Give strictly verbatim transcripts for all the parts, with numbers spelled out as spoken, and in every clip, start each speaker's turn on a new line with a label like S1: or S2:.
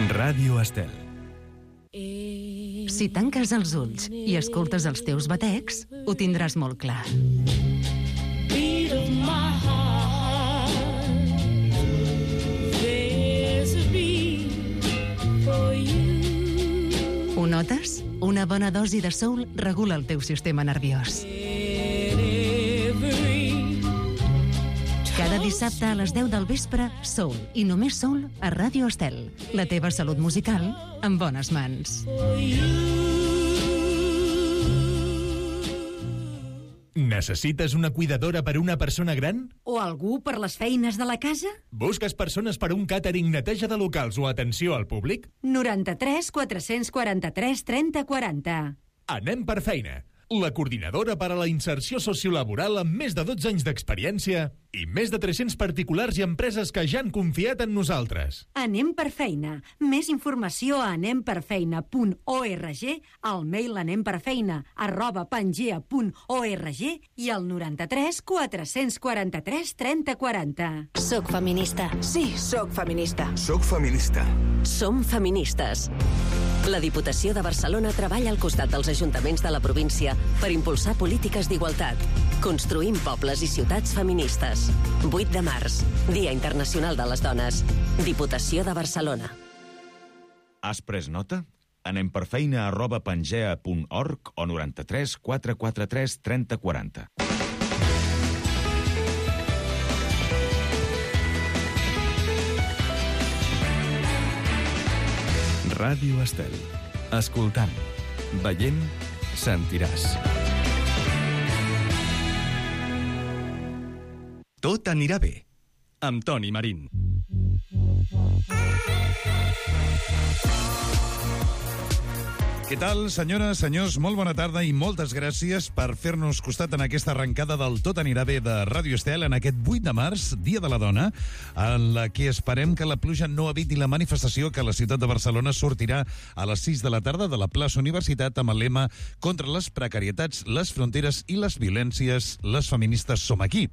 S1: Ràdio Estel.
S2: Si tanques els ulls i escoltes els teus batecs, ho tindràs molt clar. Ho notes? Una bona dosi de soul regula el teu sistema nerviós. Cada dissabte a les deu del vespre, soul i només soul a Ràdio Estel. La teva salut musical en bones mans.
S1: Necessites una cuidadora per a una persona gran?
S3: O algú per les feines de la casa?
S1: Busques persones per a un càtering, neteja de locals o atenció al públic?
S3: noranta-tres quatre-cents quaranta-tres trenta quaranta.
S1: Anem per feina. La coordinadora per a la inserció sociolaboral amb més de dotze anys d'experiència i més de tres-cents particulars i empreses que ja han confiat en nosaltres.
S3: Anem per feina. Més informació a anem per feina punt org, al mail anemperfeina arroba pangea punt org i al noranta-tres quatre-cents quaranta-tres trenta quaranta.
S4: Soc feminista.
S5: Sí, soc feminista.
S6: Soc feminista.
S4: Som feministes. La Diputació de Barcelona treballa al costat dels ajuntaments de la província per impulsar polítiques d'igualtat. Construïm pobles i ciutats feministes. vuit de març, Dia Internacional de les Dones. Diputació de Barcelona.
S7: Has pres nota? Anem per feina arroba pangea punt org o noranta-tres quatre quaranta-tres trenta quaranta.
S1: Ràdio Estel. Escoltant, veient, sentiràs.
S8: Tot anirà bé, amb Toni Marín. Què tal, senyores, senyors? Molt bona tarda i moltes gràcies per fer-nos costat en aquesta arrencada del Tot anirà bé de Ràdio Estel en aquest vuit de març, Dia de la Dona, en la que esperem que la pluja no eviti la manifestació que la ciutat de Barcelona sortirà a les sis de la tarda de la plaça Universitat amb el lema contra les precarietats, les fronteres i les violències, les feministes som aquí.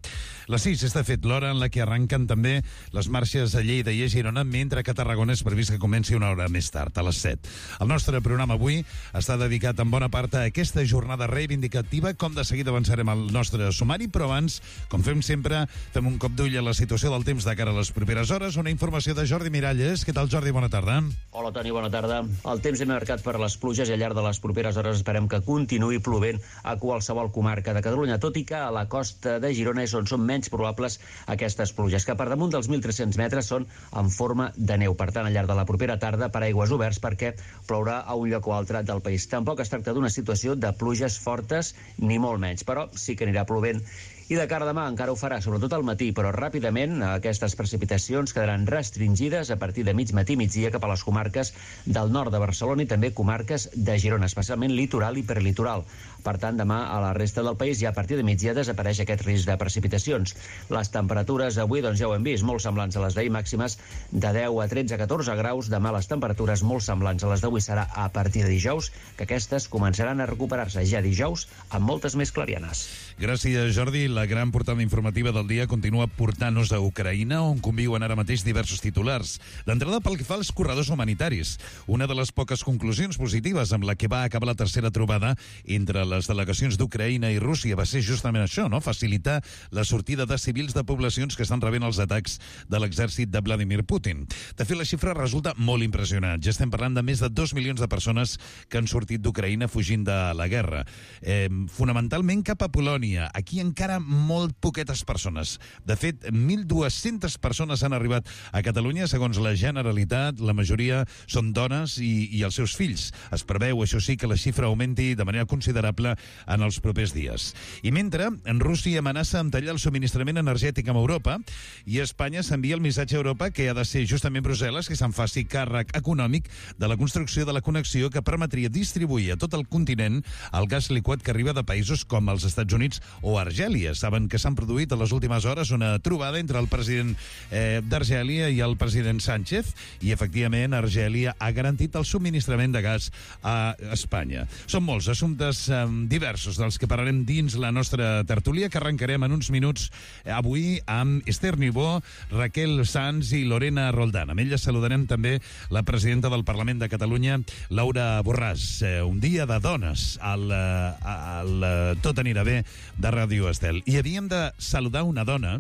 S8: Les sis és de fet l'hora en la que arrenquen també les marxes a Lleida i a Girona, mentre que a Tarragona és previst que comenci una hora més tard, a les set. El nostre programa avui està dedicat en bona part a aquesta jornada reivindicativa, com de seguida avançarem al nostre sumari, però abans, com fem sempre, fem un cop d'ull a la situació del temps de cara a les properes hores. Una informació de Jordi Miralles. Què tal, Jordi? Bona tarda.
S9: Hola, Toni, bona tarda. El temps és marcat per les pluges i al llarg de les properes hores esperem que continuï plovent a qualsevol comarca de Catalunya, tot i que a la costa de Girona és on són menys probables aquestes pluges, que per damunt dels mil tres-cents metres són en forma de neu. Per tant, al llarg de la propera tarda, paraigües oberts perquè plourà a un lloc o altre del país. Tampoc es tracta d'una situació de pluges fortes, ni molt menys, però sí que anirà plovent. I de cara a demà encara ho farà, sobretot al matí, però ràpidament aquestes precipitacions quedaran restringides a partir de mig matí i migdia cap a les comarques del nord de Barcelona i també comarques de Girona, especialment litoral i perlitoral. Per tant, demà a la resta del país ja a partir de migdia desapareix aquest risc de precipitacions. Les temperatures avui, doncs ja ho hem vist, molt semblants a les d'ahir, màximes de deu a tretze a catorze graus. Demà les temperatures molt semblants a les d'avui serà a partir de dijous, que aquestes començaran a recuperar-se ja dijous amb moltes més clarianes.
S8: Gràcies, Jordi. La gran portada informativa del dia continua portant-nos a Ucraïna, on conviuen ara mateix diversos titulars. D'entrada, pel que fa als corredors humanitaris, una de les poques conclusions positives amb la que va acabar la tercera trobada entre les delegacions d'Ucraïna i Rússia va ser justament això, no? Facilitar la sortida de civils de poblacions que estan rebent els atacs de l'exèrcit de Vladimir Putin. De fet, la xifra resulta molt impressionant. Ja estem parlant de més de dos milions de persones que han sortit d'Ucraïna fugint de la guerra. Eh, fonamentalment cap a Polònia. Aquí encara molt poquetes persones. De fet, mil dues-centes persones han arribat a Catalunya, segons la Generalitat. La majoria són dones i, i els seus fills. Es preveu, això sí, que la xifra augmenti de manera considerable en els propers dies. I mentre, en Rússia amenaça amb tallar el subministrament energètic amb Europa i Espanya s'envia el missatge a Europa que ha de ser justament Brussel·les que se'n faci càrrec econòmic de la construcció de la connexió que permetria distribuir a tot el continent el gas liquat que arriba de països com els Estats Units o Argèlia. saben que s'han produït a les últimes hores una trobada entre el president eh, d'Argèlia i el president Sánchez, i efectivament Argèlia ha garantit el subministrament de gas a Espanya. Són molts assumptes eh, diversos dels que parlarem dins la nostra tertúlia, que arrencarem en uns minuts avui amb Esther Niubó, Raquel Sanz i Lorena Roldán. Amb elles saludarem també la presidenta del Parlament de Catalunya, Laura Borràs. Eh, un dia de dones al, al Tot anirà bé de Ràdio Estel. I havíem de saludar una dona,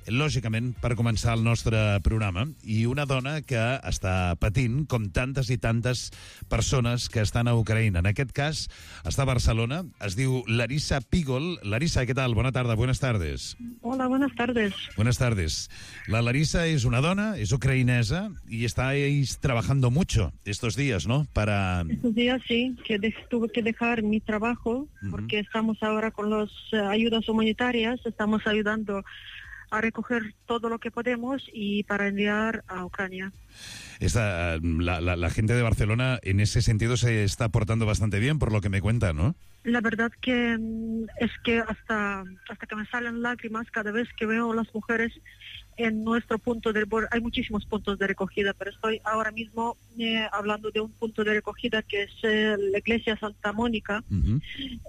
S8: lògicament, per començar el nostre programa, i una dona que està patint, com tantes i tantes persones que estan a Ucraïna. En aquest cas, està a Barcelona, es diu Larissa Pigol. Larissa, ¿qué tal? Buena tarde, buenas tardes.
S5: Hola, buenas tardes.
S8: Buenas tardes. La Larissa es una dona, es ucrainesa, y estáis trabajando mucho estos días, ¿no? Para...
S5: Estos días sí, que de- tuve que dejar mi trabajo,
S8: Ujú.
S5: porque estamos ahora con las eh, ayudas humanitarias, estamos ayudando a recoger todo lo que podemos y para enviar a Ucrania.
S8: Esta, la, la, la gente de Barcelona en ese sentido se está portando bastante bien, por lo que me cuenta, ¿no?
S5: La verdad que mm, es que hasta, hasta que me salen lágrimas cada vez que veo a las mujeres en nuestro punto de... bueno, hay muchísimos puntos de recogida, pero estoy ahora mismo eh, hablando de un punto de recogida que es eh, la iglesia Santa Mónica.
S8: Uh-huh.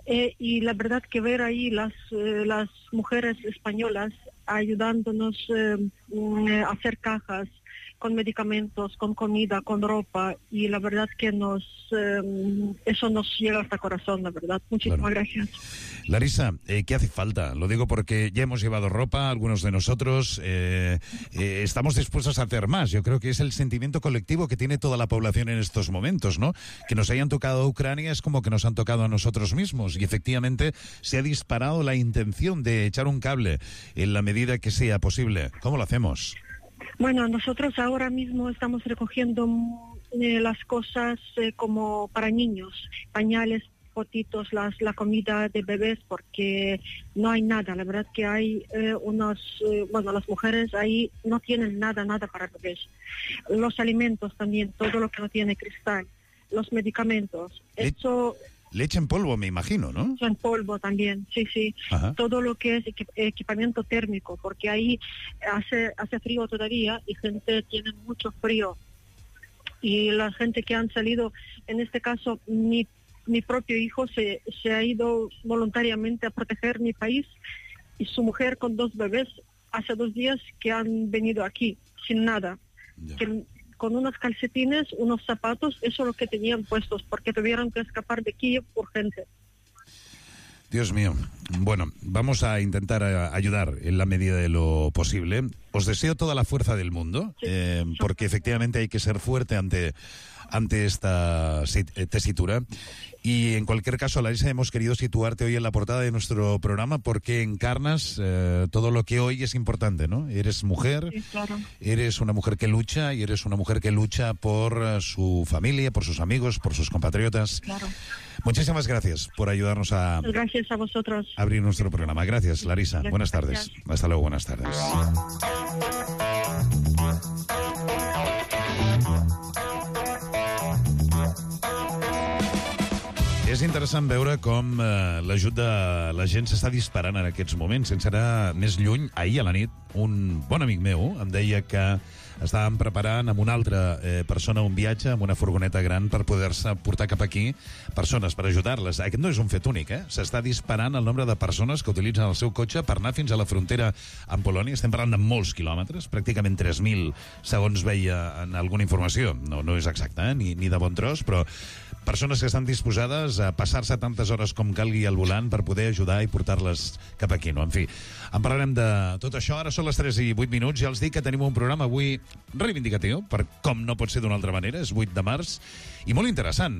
S5: Eh, y la verdad que ver ahí las, eh, las mujeres españolas ayudándonos eh, mm, a hacer cajas con medicamentos, con comida, con ropa, y la verdad que nos eh, eso nos llega hasta el corazón, la verdad. Muchísimas
S8: Claro.
S5: gracias.
S8: Larissa, eh, ¿qué hace falta? Lo digo porque ya hemos llevado ropa, algunos de nosotros, eh, eh, estamos dispuestos a hacer más. Yo creo que es el sentimiento colectivo que tiene toda la población en estos momentos, ¿no? Que nos hayan tocado a Ucrania es como que nos han tocado a nosotros mismos, y efectivamente se ha disparado la intención de echar un cable en la medida que sea posible. ¿Cómo lo hacemos?
S5: Bueno, nosotros ahora mismo estamos recogiendo mm, eh, las cosas eh, como para niños, pañales, potitos, las, la comida de bebés, porque no hay nada. La verdad que hay eh, unos, eh, bueno, las mujeres ahí no tienen nada, nada para bebés. Los alimentos también, todo lo que no tiene cristal, los medicamentos,
S8: Le-
S5: eso
S8: Leche en polvo, me imagino, ¿no?
S5: en polvo también, sí, sí.
S8: Ajá.
S5: Todo lo que es equi- equipamiento térmico, porque ahí hace, hace frío todavía y gente tiene mucho frío. Y la gente que han salido, en este caso, mi, mi propio hijo se, se ha ido voluntariamente a proteger mi país, y su mujer con dos bebés hace dos días que han venido aquí sin nada.
S8: Ya.
S5: Que, con unos calcetines, unos zapatos, eso es lo que tenían puestos, porque tuvieron que escapar de Kiev urgente.
S8: Dios mío. Bueno, vamos a intentar eh, ayudar en la medida de lo posible. Os deseo toda la fuerza del mundo,
S5: Sí.
S8: eh, porque efectivamente hay que ser fuerte ante, ante esta sit- eh, tesitura. Y en cualquier caso, Larissa, hemos querido situarte hoy en la portada de nuestro programa porque encarnas eh, todo lo que hoy es importante, ¿no? Eres mujer,
S5: Sí, claro.
S8: eres una mujer que lucha, y eres una mujer que lucha por eh, su familia, por sus amigos, por sus compatriotas.
S5: Claro.
S8: Muchísimas gracias por ayudarnos a
S5: Gracias a vosotros.
S8: abrir nuestro programa. Gracias, Larissa.
S5: Gracias,
S8: Buenas tardes.
S5: gracias.
S8: Hasta luego, buenas tardes. És interessant veure com eh, l'ajut de la gent s'està disparant en aquests moments. Sense anar més lluny, ahir a la nit, un bon amic meu em deia que estàvem preparant amb una altra eh, persona un viatge amb una furgoneta gran per poder-se portar cap aquí persones, per ajudar-les. Aquest no és un fet únic, eh? S'està disparant el nombre de persones que utilitzen el seu cotxe per anar fins a la frontera amb Polònia. Estem parlant de molts quilòmetres, pràcticament tres mil, segons veia en alguna informació. No, no és exacte, eh? ni, ni de bon tros, però persones que estan disposades a passar-se tantes hores com calgui al volant per poder ajudar i portar-les cap aquí, no? En fi, en parlarem de tot això. Ara són les tres i vuit minuts. Ja els dic que tenim un programa avui reivindicatiu, per com no pot ser d'una altra manera. És vuit de març i molt interessant.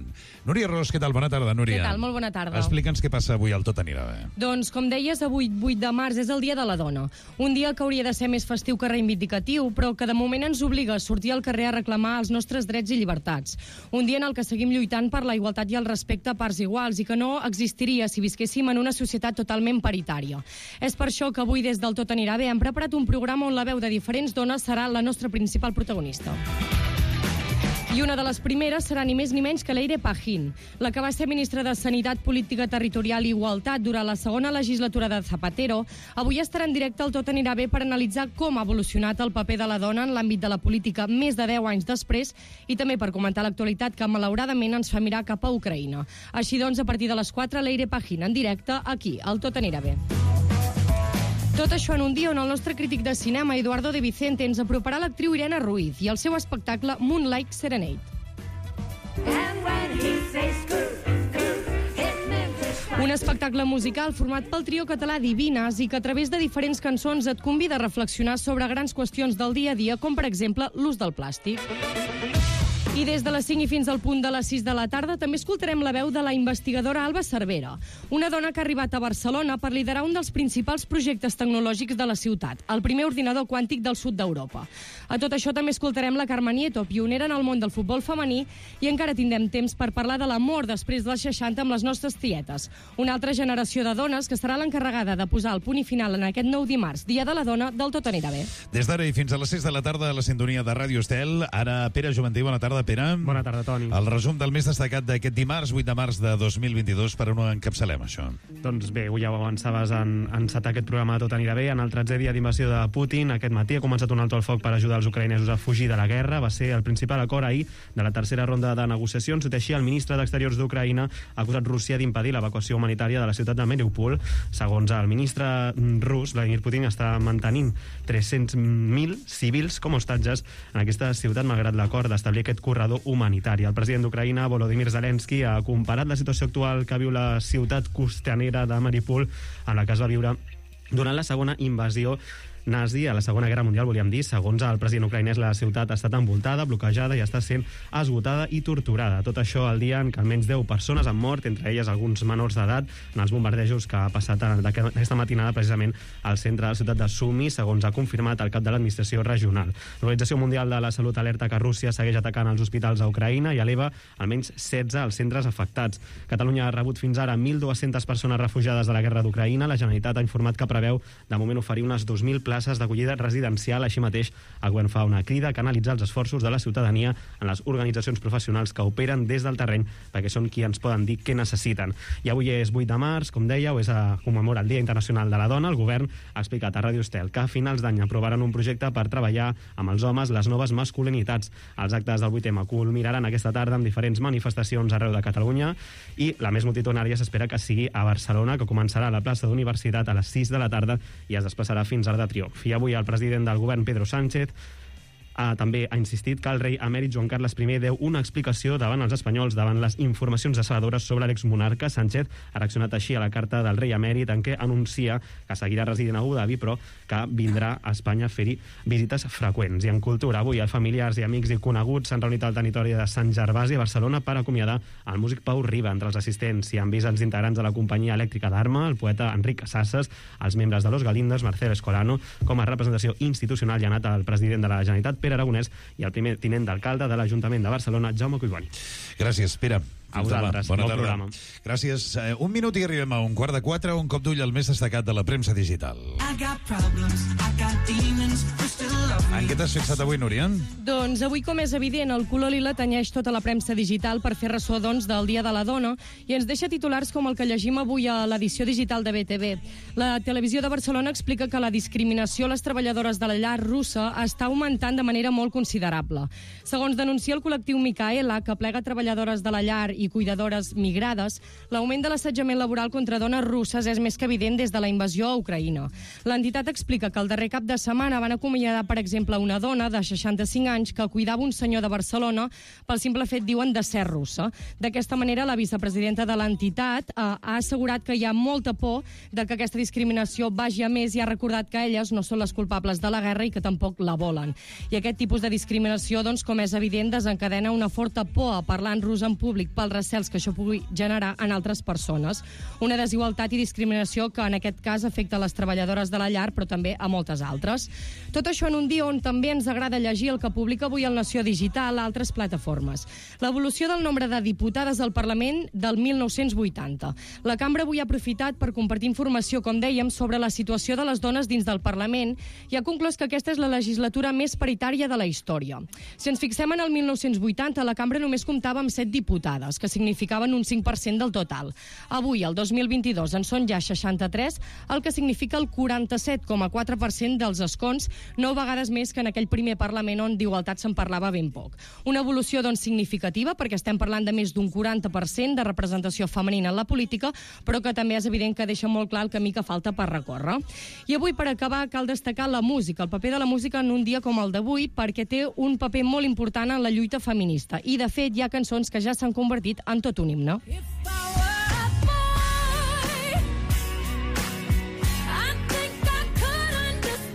S8: Núria Ros, què tal? Bona tarda, Núria.
S6: Què tal? Molt bona tarda.
S8: Explica'ns què passa avui al Tot anirà bé.
S6: Doncs, com deies, avui, vuit de març, és el Dia de la Dona. Un dia que hauria de ser més festiu que reivindicatiu, però que de moment ens obliga a sortir al carrer a reclamar els nostres drets i llibertats. Un dia en el que seguim lluitant per la igualtat i el respecte a parts iguals, i que no existiria si visquéssim en una societat totalment paritària. És per això que avui, des del Tot anirà bé, hem preparat un programa on la veu de diferents dones serà la nostra principal protagonista. I una de les primeres serà ni més ni menys que Leire Pajín, la que va ser ministra de Sanitat, Política Territorial i Igualtat durant la segona legislatura de Zapatero. Avui estarà en directe al Tot anirà bé per analitzar com ha evolucionat el paper de la dona en l'àmbit de la política més de deu anys després i també per comentar l'actualitat que malauradament ens fa mirar cap a Ucraïna. Així doncs, a partir de les quatre, Leire Pajín en directe aquí, al Tot anirà bé. Tot això en un dia on el nostre crític de cinema, Eduardo de Vicente, ens aproparà l'actriu Irene Ruiz i el seu espectacle Moonlight Serenade. Un espectacle musical format pel trio català Divines i que a través de diferents cançons et convida a reflexionar sobre grans qüestions del dia a dia, com per exemple l'ús del plàstic. I des de les cinc i fins al punt de les sis de la tarda també escoltarem la veu de la investigadora Alba Cervera, una dona que ha arribat a Barcelona per liderar un dels principals projectes tecnològics de la ciutat, el primer ordinador quàntic del sud d'Europa. A tot això també escoltarem la Carme Nieto, pionera en el món del futbol femení, i encara tindrem temps per parlar de l'amor després dels seixanta amb les nostres tietes, una altra generació de dones que serà l'encarregada de posar el punt i final en aquest nou dimarts, Dia de la Dona, del Tot anirà bé.
S8: Des d'ara i fins a les sis de la tarda a la sintonia de Ràdio Estel, ara Pere Juventí, bona tarda, Pere.
S10: Bona tarda, Toni.
S8: El resum del més destacat d'aquest dimarts, vuit de març de dos mil vint-i-dos, per on ho encapçalem, això?
S10: Doncs bé, ja ho avançaves en encetar aquest programa Tot anirà bé. En el tretzè dia d'invasió de Putin, aquest matí ha començat un alto al foc per ajudar els ucraïnesos a fugir de la guerra. Va ser el principal acord ahir de la tercera ronda de negociacions. Tot així, el ministre d'Exteriors d'Ucraïna ha acusat Rússia d'impedir l'evacuació humanitària de la ciutat de Mariupol. Segons el ministre rus, Vladimir Putin està mantenint tres-cents mil civils com a hostatges en aquesta ciutat, malgrat l'acord d'establir aquest corredor humanitari. El president d'Ucraïna, Volodymyr Zelensky, ha comparat la situació actual que viu la ciutat costanera de Mariupol amb la que es va viure durant la segona invasió nazi a la Segona Guerra Mundial, volíem dir. Segons el president ucraïnès, la ciutat ha estat envoltada, bloquejada i està sent esgotada i torturada. Tot això al dia en què almenys deu persones han mort, entre elles alguns menors d'edat, en els bombardejos que ha passat aquesta matinada precisament al centre de la ciutat de Sumy, segons ha confirmat el cap de l'administració regional. L'Organització Mundial de la Salut alerta que Rússia segueix atacant els hospitals a Ucraïna i eleva almenys setze als centres afectats. Catalunya ha rebut fins ara mil dues-centes persones refugiades de la guerra d'Ucraïna. La Generalitat ha informat que preveu de moment oferir unes dos mil places d'acollida residencial. Així mateix, el govern fa una crida a canalitzar els esforços de la ciutadania en les organitzacions professionals que operen des del terreny, perquè són qui ens poden dir què necessiten. I avui és vuit de març, com dèieu, és a commemorar el Dia Internacional de la Dona. El govern ha explicat a Ràdio Estel que a finals d'any aprovaran un projecte per treballar amb els homes les noves masculinitats. Els actes del vuit eme culminaran aquesta tarda amb diferents manifestacions arreu de Catalunya i la més multitudinària s'espera que sigui a Barcelona, que començarà a la plaça d'Universitat a les sis de la tarda i es desplaçarà fins a l'Arc de Triomf. I avui el president del govern, Pedro Sánchez, ha, també ha insistit que el rei emèrit Joan Carles primer deu una explicació davant els espanyols davant les informacions decebedores sobre l'exmonarca. Sánchez ha reaccionat així a la carta del rei emèrit en què anuncia que seguirà residint a Abu Dhabi però que vindrà a Espanya a fer-hi visites freqüents. I en cultura, avui els familiars i amics i coneguts s'han reunit al territori de Sant Gervasi a Barcelona per acomiadar el músic Pau Riba. Entre els assistents hi han vist els integrants de la companyia elèctrica d'Arma, el poeta Enric Sasses, els membres de Los Galindos, Marcel Escolano. Com a representació institucional hi ha anat el president de la Generalitat, Pere Aragonès, i el primer tinent d'alcalde de l'Ajuntament de Barcelona, Jaume Collboni.
S8: Gràcies, Pere.
S10: A vosaltres, bon programa.
S8: Gràcies. Uh, un minut i arribem a un quart de quatre, un cop d'ull al més destacat de la premsa digital. En què t'has fixat avui, Núria?
S6: Doncs avui, com és evident, el color lila tenyeix tota la premsa digital per fer ressò, doncs, del Dia de la Dona i ens deixa titulars com el que llegim avui a l'edició digital de B T V. La televisió de Barcelona explica que la discriminació a les treballadores de la llar russa està augmentant de manera molt considerable. Segons denuncia el col·lectiu Micaela, que plega treballadores de la llar i cuidadores migrades, l'augment de l'assetjament laboral contra dones russes és més que evident des de la invasió a Ucraïna. L'entitat explica que el darrer cap de setmana van acomiadar, per exemple, una dona de seixanta-cinc anys que cuidava un senyor de Barcelona pel simple fet, diuen, de ser russa. D'aquesta manera, la vicepresidenta de l'entitat eh, ha assegurat que hi ha molta por de que aquesta discriminació vagi a més i ha recordat que elles no són les culpables de la guerra i que tampoc la volen. I aquest tipus de discriminació, doncs, com és evident, desencadena una forta por a parlar en rus en públic pel recels que això pugui generar en altres persones. Una desigualtat i discriminació que en aquest cas afecta a les treballadores de la llar, però també a moltes altres. Tot això en un dia on també ens agrada llegir el que publica avui el Nació Digital a altres plataformes. L'evolució del nombre de diputades al Parlament del mil nou-cents vuitanta. La cambra avui ha aprofitat per compartir informació, com dèiem, sobre la situació de les dones dins del Parlament i ha conclòs que aquesta és la legislatura més paritària de la història. Si ens fixem en el mil nou-cents vuitanta, la cambra només comptava amb set diputades, que significaven un cinc per cent del total. Avui, el dos mil vint-i-dos, en són ja seixanta-tres, el que significa el quaranta-set coma quatre per cent dels escons, nou vegades més que en aquell primer Parlament on d'igualtat se'n parlava ben poc. Una evolució, doncs, significativa, perquè estem parlant de més d'un quaranta per cent de representació femenina en la política, però que també és evident que deixa molt clar el camí que falta per recórrer. I avui, per acabar, cal destacar la música, el paper de la música en un dia com el d'avui, perquè té un paper molt important en la lluita feminista. I, de fet, hi ha cançons que ja s'han convertit en tot un himne.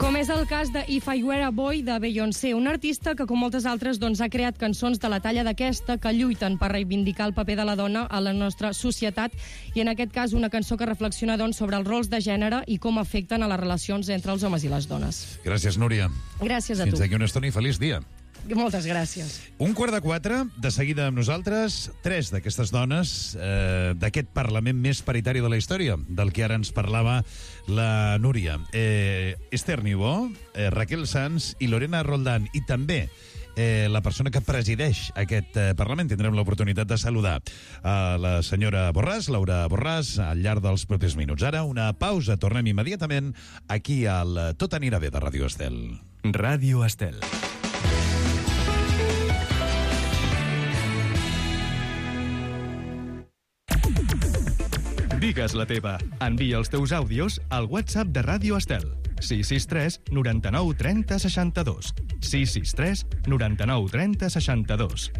S6: Com és el cas de If I Were a Boy de Beyoncé, una artista que, com moltes altres, doncs, ha creat cançons de la talla d'aquesta que lluiten per reivindicar el paper de la dona a la nostra societat i, en aquest cas, una cançó que reflexiona doncs, sobre els rols de gènere i com afecten a les relacions entre els homes i les dones.
S8: Gràcies, Núria.
S6: Gràcies a tu.
S8: Fins aquí una estona i feliç dia.
S6: Moltes gràcies.
S8: Un quart de quatre, de seguida amb nosaltres, tres d'aquestes dones eh, d'aquest Parlament més paritari de la història, del que ara ens parlava la Núria. Eh, Esther Niubó, eh, Raquel Sanz i Lorena Roldán, i també eh, la persona que presideix aquest eh, Parlament. Tindrem l'oportunitat de saludar a la senyora Borràs, Laura Borràs, al llarg dels propers minuts. Ara, una pausa, tornem immediatament aquí al Tot anirà bé de Ràdio Estel.
S11: Ràdio Estel. Digues la teva. Envia els teus àudios al WhatsApp de Ràdio Estel. sis sis tres, noranta-nou, trenta, seixanta-dos. sis sis tres, noranta-nou, trenta, seixanta-dos.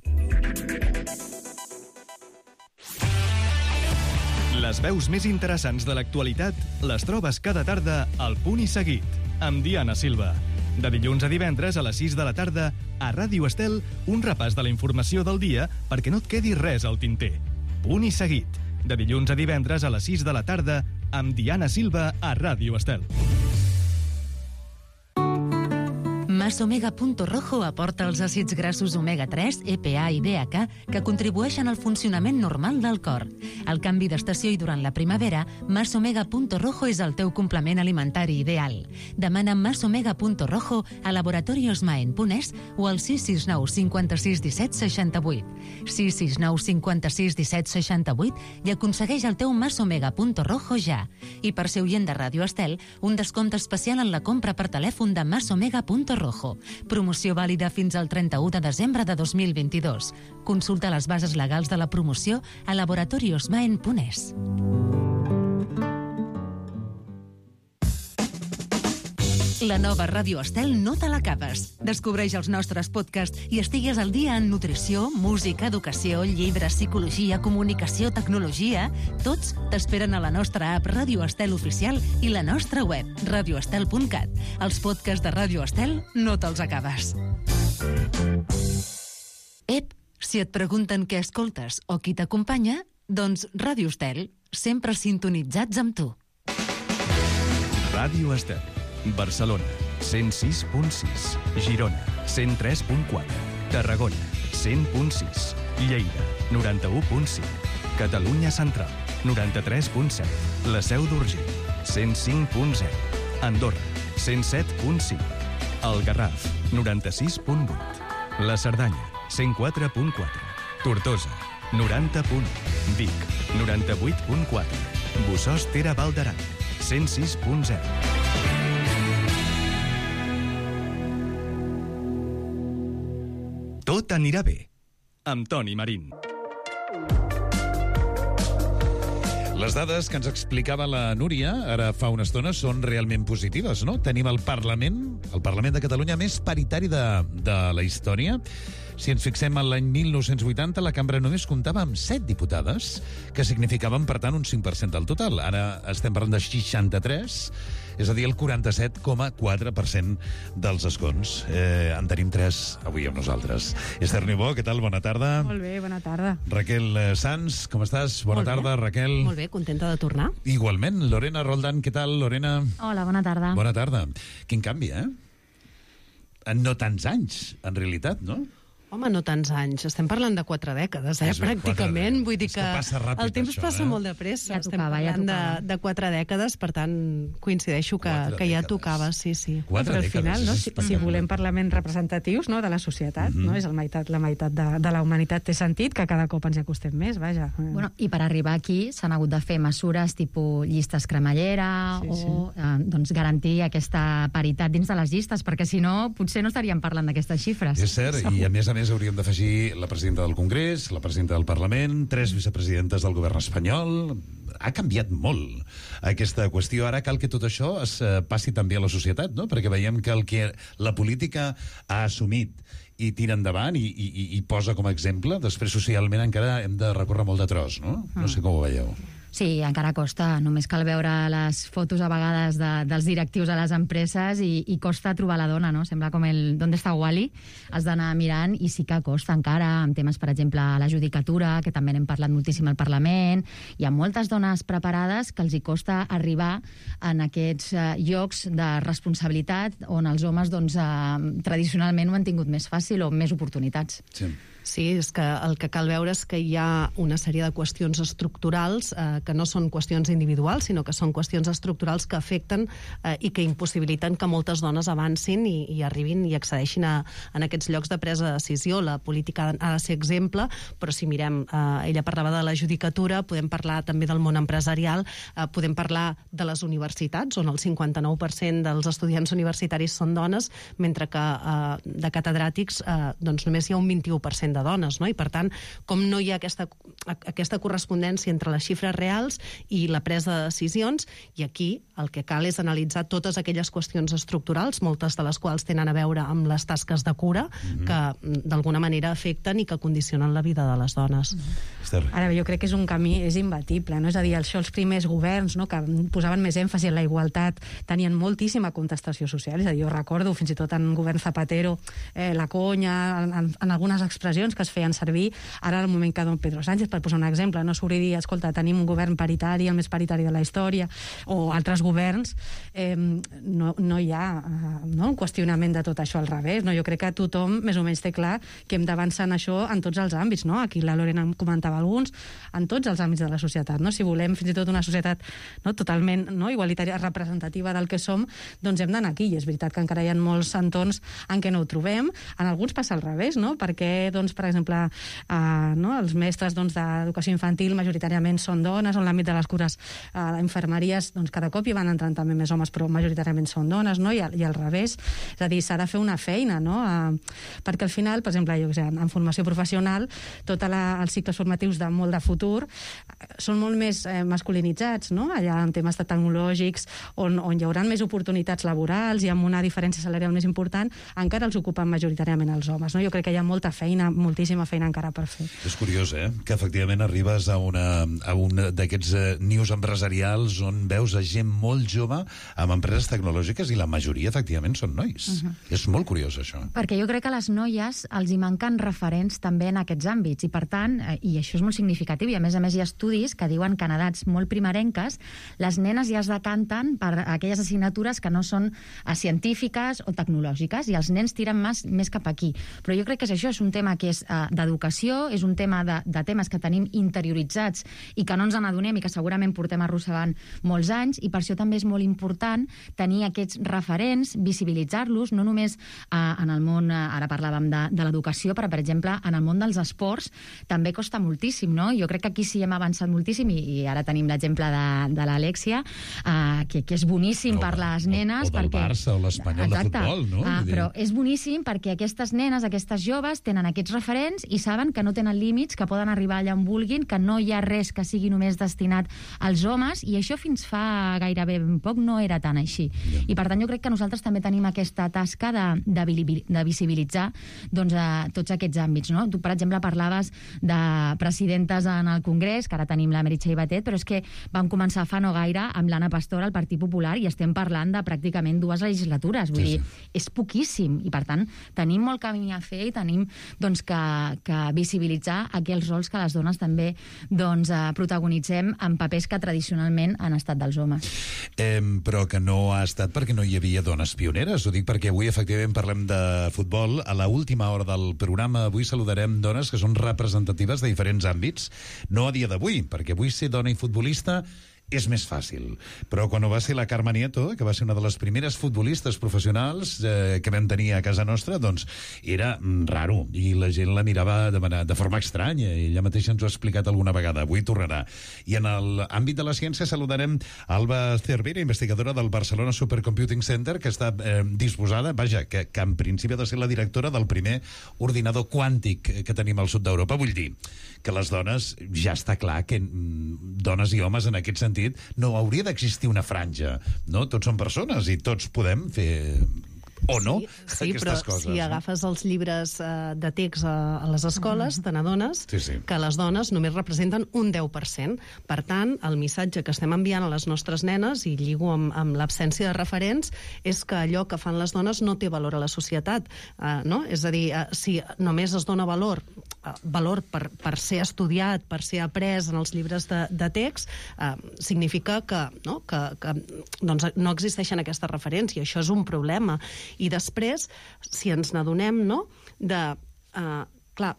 S11: Les veus més interessants de l'actualitat les trobes cada tarda al Punt i Seguit, amb Diana Silva. De dilluns a divendres a les sis de la tarda, a Ràdio Estel, un repàs de la informació del dia perquè no et quedi res al tinter. Punt i Seguit. De dilluns a divendres a les sis de la tarda, amb Diana Silva a Ràdio Estel.
S2: Masomega.rojo aporta els àcids grassos omega tres, E P A i D H A que contribueixen al funcionament normal del cor. Al canvi d'estació i durant la primavera, Masomega.rojo és el teu complement alimentari ideal. Demana Masomega.rojo a Laboratorios Maen Punès o al sis sis nou, cinquanta-sis, disset, seixanta-vuit. sis sis nou, cinquanta-sis, disset, seixanta-vuit i aconsegueix el teu Masomega.rojo ja. I per ser oient de Ràdio Estel, un descompte especial en la compra per telèfon de Masomega.rojo. Promoció vàlida fins al trenta-u de desembre de dos mil vint-i-dos. Consulta les bases legals de la promoció a Laboratorios Maen Punès. La nova Ràdio Estel no te l'acabes. Descobreix els nostres podcasts i estigues al dia en nutrició, música, educació, llibres, psicologia, comunicació, tecnologia. Tots t'esperen a la nostra app Ràdio Estel Oficial i la nostra web, radio estel punt cat. Els podcasts de Ràdio Estel no te'ls acabes. Ep, si et pregunten què escoltes o qui t'acompanya, doncs Ràdio Estel, sempre sintonitzats amb tu.
S11: Ràdio Estel. Barcelona, cent sis punt sis. Girona, cent tres punt quatre. Tarragona, cent punt sis. Lleida, noranta-u punt cinc. Catalunya Central, noranta-tres punt set. La Seu d'Urgell, cent cinc punt zero. Andorra, cent set punt cinc. El Garraf, noranta-sis punt vuit. La Cerdanya, cent quatre punt quatre. Tortosa, noranta punt u. Vic, noranta-vuit punt quatre. Bossòst Tere Val d'Aran, cent sis punt zero. Tot anirà bé, amb Toni Marín.
S8: Les dades que ens explicava la Núria ara fa una estona són realment positives, no? Tenim el Parlament, el Parlament de Catalunya més paritari de, de la història. Si ens fixem en l'any mil nou-cents vuitanta, la cambra només comptava amb set diputades, que significaven, per tant, un cinc per cent del total. Ara estem parlant de seixanta-tres, és a dir, el quaranta-set coma quatre per cent dels escons. Eh, en tenim tres avui amb nosaltres. Esther Niubó, què tal? Bona tarda.
S12: Molt bé, bona tarda.
S8: Raquel Sanz, com estàs? Bona
S12: Molt
S8: tarda,
S12: bé.
S8: Raquel.
S12: Molt bé, contenta de tornar.
S8: Igualment. Lorena Roldán, què tal, Lorena?
S12: Hola, bona tarda.
S8: Bona tarda. Quin canvi, eh? en no tants anys, en realitat, no?
S12: Home, no tants anys. Estem parlant de quatre dècades, eh?
S8: És ben,
S12: Pràcticament.
S8: quatre
S12: Vull dir
S8: És
S12: que,
S8: que passa ràpid,
S12: el temps
S8: això,
S12: passa
S8: eh?
S12: molt de pressa.
S2: Ja
S12: Estem
S2: tocava, ja
S12: parlant
S2: tocava.
S12: de, de quatre dècades, per tant, coincideixo que,
S8: Quatre
S12: que ja
S8: dècades.
S12: tocava, sí, sí.
S8: Quatre
S13: Però al
S8: dècades,
S13: final, no,
S8: és
S13: si, si
S8: espectacular.
S13: volem parlaments representatius, no, de la societat,
S8: Mhm.
S13: no, és el meitat, la meitat de, de la humanitat, té sentit que cada cop ens hi acostem més, vaja.
S2: Bueno, i per arribar aquí s'han hagut de fer mesures tipus llistes cremallera
S13: Sí, sí.
S2: o eh, doncs, garantir aquesta paritat dins de les llistes, perquè si no potser no estaríem parlant d'aquestes xifres.
S8: És cert, i a més a més hauríem d'afegir la presidenta del Congrés, la presidenta del Parlament, tres vicepresidentes del govern espanyol. Ha canviat molt aquesta qüestió. Ara cal que tot això es eh, passi també a la societat, no? Perquè veiem que el que la política ha assumit i tira endavant i, i, i posa com a exemple, després socialment encara hem de recórrer molt de tros, no? No sé com ho veieu.
S2: Sí, encara costa. Només cal veure les fotos a vegades de, dels directius a les empreses i, i costa trobar la dona, no? Sembla com el «D'on està Wally?». Has d'anar mirant i sí que costa encara, amb temes, per exemple, la judicatura, que també n'hem parlat moltíssim al Parlament. Hi ha moltes dones preparades que els hi costa arribar en aquests eh, llocs de responsabilitat on els homes doncs, eh, tradicionalment ho han tingut més fàcil o més oportunitats.
S8: Sí.
S12: Sí, és que el que cal veure és que hi ha una sèrie de qüestions estructurals eh, que no són qüestions individuals, sinó que són qüestions estructurals que afecten eh, i que impossibiliten que moltes dones avancin i, i arribin i accedeixin a, a aquests llocs de presa de decisió. La política ha de ser exemple, però si mirem, eh, ella parlava de la judicatura, podem parlar també del món empresarial, eh, podem parlar de les universitats, on el cinquanta-nou per cent dels estudiants universitaris són dones, mentre que eh, de catedràtics eh, doncs només hi ha un vint-i-u per cent de dones, no? I per tant, com no hi ha aquesta, aquesta correspondència entre les xifres reals i la presa de decisions, i aquí el que cal és analitzar totes aquelles qüestions estructurals, moltes de les quals tenen a veure amb les tasques de cura, mm-hmm. que d'alguna manera afecten i que condicionen la vida de les dones.
S8: Mm-hmm.
S13: Ara bé, jo crec que és un camí, és imbatible, no? És a dir, això els primers governs, no?, que posaven més èmfasi en la igualtat, tenien moltíssima contestació social, és a dir, jo recordo fins i tot en govern Zapatero, eh, la conya, en, en, en algunes expressions que es feien servir, ara al moment que don Pedro Sánchez, per posar un exemple, no s'hauria de dir, escolta, tenim un govern paritari, el més paritari de la història, o altres governs, eh, no, no hi ha no, un qüestionament de tot això al revés, no? Jo crec que tothom més o menys té clar que hem d'avançar en això en tots els àmbits, no? Aquí la Lorena en comentava alguns, en tots els àmbits de la societat, no? Si volem fins i tot una societat no, totalment no, igualitària, representativa del que som, doncs hem d'anar aquí, i és veritat que encara hi ha molts entorns en què no ho trobem, en alguns passa al revés, no? Perquè, doncs, per exemple, eh, no, els mestres doncs, d'educació infantil majoritàriament són dones, en l'àmbit de les cures eh, infermeries, doncs cada cop hi van entrant també més homes, però majoritàriament són dones, no? I, i al revés, és a dir, s'ha de fer una feina, no? Eh, perquè al final, per exemple, jo, o sigui, en formació professional, tots els cicles formatius de molt de futur eh, són molt més eh, masculinitzats, no? Allà en temes de tecnològics, on, on hi haurà més oportunitats laborals i amb una diferència salarial més important, encara els ocupen majoritàriament els homes, no? Jo crec que hi ha molta feina, moltíssima feina encara per fer.
S8: És curiós, eh?, que efectivament arribes a, una, a un d'aquests eh, nius empresarials on veus a gent molt jove amb empreses tecnològiques i la majoria, efectivament, són nois. Uh -huh. És molt curiós, això.
S2: Perquè jo crec que a les noies els hi manquen referents també en aquests àmbits i, per tant, eh, i això és molt significatiu, i a més a més hi ha estudis que diuen que en edats molt primerenques les nenes ja es decanten per aquelles assignatures que no són eh, científiques o tecnològiques, i els nens tiren més, més cap aquí. Però jo crec que és això, és un tema que és eh, d'educació, és un tema de, de temes que tenim interioritzats i que no ens n'adonem i que segurament portem arrossegant molts anys, i per això també és molt important tenir aquests referents, visibilitzar-los, no només eh, en el món, eh, ara parlàvem de, de l'educació, però per exemple en el món dels esports també costa moltíssim, no? Jo crec que aquí sí hem avançat moltíssim, i, i ara tenim l'exemple de, de l'Alexia, eh, que, que és boníssim o, per les nenes.
S8: O, o del
S2: perquè...
S8: Barça o l'Espanyol de futbol, no?
S2: Uh, però és boníssim perquè aquestes nenes, aquestes joves, tenen aquests referents i saben que no tenen límits, que poden arribar allà on vulguin, que no hi ha res que sigui només destinat als homes, i això fins fa gairebé poc no era tan així. Yeah. I per tant jo crec que nosaltres també tenim aquesta tasca de, de, de visibilitzar doncs, a tots aquests àmbits, no? Tu, per exemple, parlaves de presidentes en el Congrés, que ara tenim la Meritxell Batet, però és que vam començar fa no gaire amb l'Anna Pastor al Partit Popular i estem parlant de pràcticament dues legislatures. Vull sí, dir, sí. És poquíssim, i per tant tenim molt camí a fer i tenim doncs,
S14: que, que visibilitzar aquells rols que les dones també doncs, eh, protagonitzem en papers que tradicionalment han estat dels homes.
S8: Eh, però que no ha estat perquè no hi havia dones pioneres. Ho dic perquè avui efectivament parlem de futbol. A la última hora del programa avui saludarem dones que són representatives de diferents àmbits. No a dia d'avui, perquè avui ser dona i futbolista és més fàcil. Però quan ho va ser la Carme Nieto, que va ser una de les primeres futbolistes professionals eh, que vam tenir a casa nostra, doncs era mm, raro, i la gent la mirava de, manera, de forma estranya, i ella mateixa ens ho ha explicat alguna vegada, avui tornarà. I en l'àmbit de la ciència saludarem Alba Cervera, investigadora del Barcelona Supercomputing Center, que està eh, disposada, vaja, que, que en principi ha de ser la directora del primer ordinador quàntic que tenim al sud d'Europa. Vull dir que les dones, ja està clar que mm, dones i homes en aquest sentit no hauria d'existir una franja, no? Tots són persones i tots podem fer o no
S12: sí, sí,
S8: aquestes
S12: però
S8: coses.
S12: Si
S8: no?
S12: agafes els llibres eh, de text a, a les escoles, te n'adones
S8: sí, sí.
S12: que les dones només representen un deu per cent. Per tant, el missatge que estem enviant a les nostres nenes, i lligo amb, amb l'absència de referents, és que allò que fan les dones no té valor a la societat. Eh, no? És a dir, eh, si només es dona valor valor per, per ser estudiat, per ser après en els llibres de, de text, eh, significa que, no, que, que doncs, no existeixen aquestes referències, i això és un problema. I després, si ens n'adonem, no?, de... Eh, clar,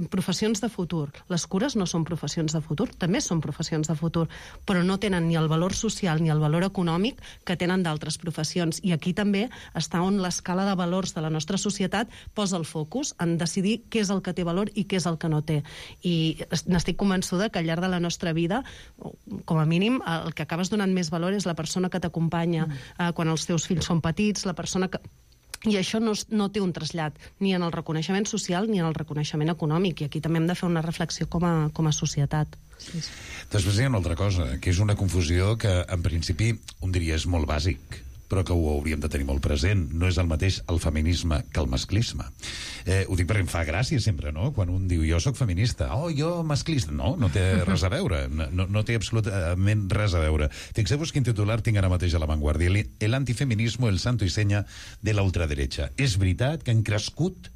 S12: professions de futur. Les cures no són professions de futur, també són professions de futur, però no tenen ni el valor social ni el valor econòmic que tenen d'altres professions. I aquí també està on l'escala de valors de la nostra societat posa el focus en decidir què és el que té valor i què és el que no té. I n'estic convençuda que al llarg de la nostra vida, com a mínim, el que acabes donant més valor és la persona que t'acompanya mm. eh, quan els teus fills són petits, la persona que... I això no, no té un trasllat ni en el reconeixement social ni en el reconeixement econòmic, i aquí també hem de fer una reflexió com a, com a societat. Sí, sí.
S8: Després hi ha una altra cosa, que és una confusió que en principi un diria és molt bàsic, però que ho hauríem de tenir molt present. No és el mateix el feminisme que el masclisme. Eh, ho dic perquè em fa gràcia sempre, no?, quan un diu jo sóc feminista, oh, jo masclista. No, no té res a veure, no, no té absolutament res a veure. Fixeu-vos quin titular tinc ara mateix a La Vanguardia: el antifeminismo, el santo y seña de la ultraderecha. És veritat que han crescut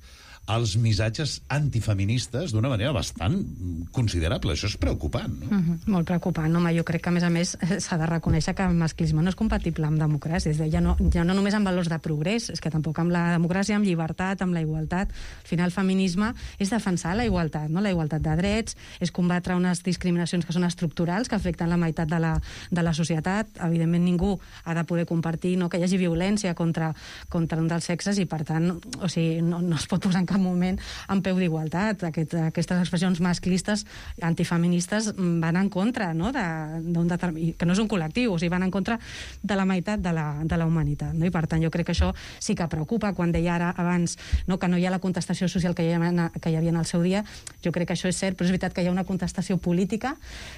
S8: els missatges antifeministes d'una manera bastant considerable. Això és preocupant, no?
S13: Mm-hmm. Molt preocupant, home. Jo crec que, a més a més, s'ha de reconèixer que el masclisme no és compatible amb democràcia. És a dir, ja no, ja no només amb valors de progrés, és que tampoc amb la democràcia, amb llibertat, amb la igualtat. Al final, el feminisme és defensar la igualtat, no? La igualtat de drets, és combatre unes discriminacions que són estructurals, que afecten la meitat de la, de la societat. Evidentment, ningú ha de poder compartir, no?, que hi hagi violència contra, contra un dels sexes, i, per tant, o sigui, no, no es pot posar en cap moment en peu d'igualtat. Aquest, aquestes expressions masclistes, antifeministes, van en contra, no?, de, determin... que no és un col·lectiu, o sigui, van en contra de la meitat de la, de la humanitat, no? I, per tant, jo crec que això sí que preocupa. Quan deia ara abans, no?, que no hi ha la contestació social que hi havia, que hi havia en el seu dia, jo crec que això és cert, però és veritat que hi ha una contestació política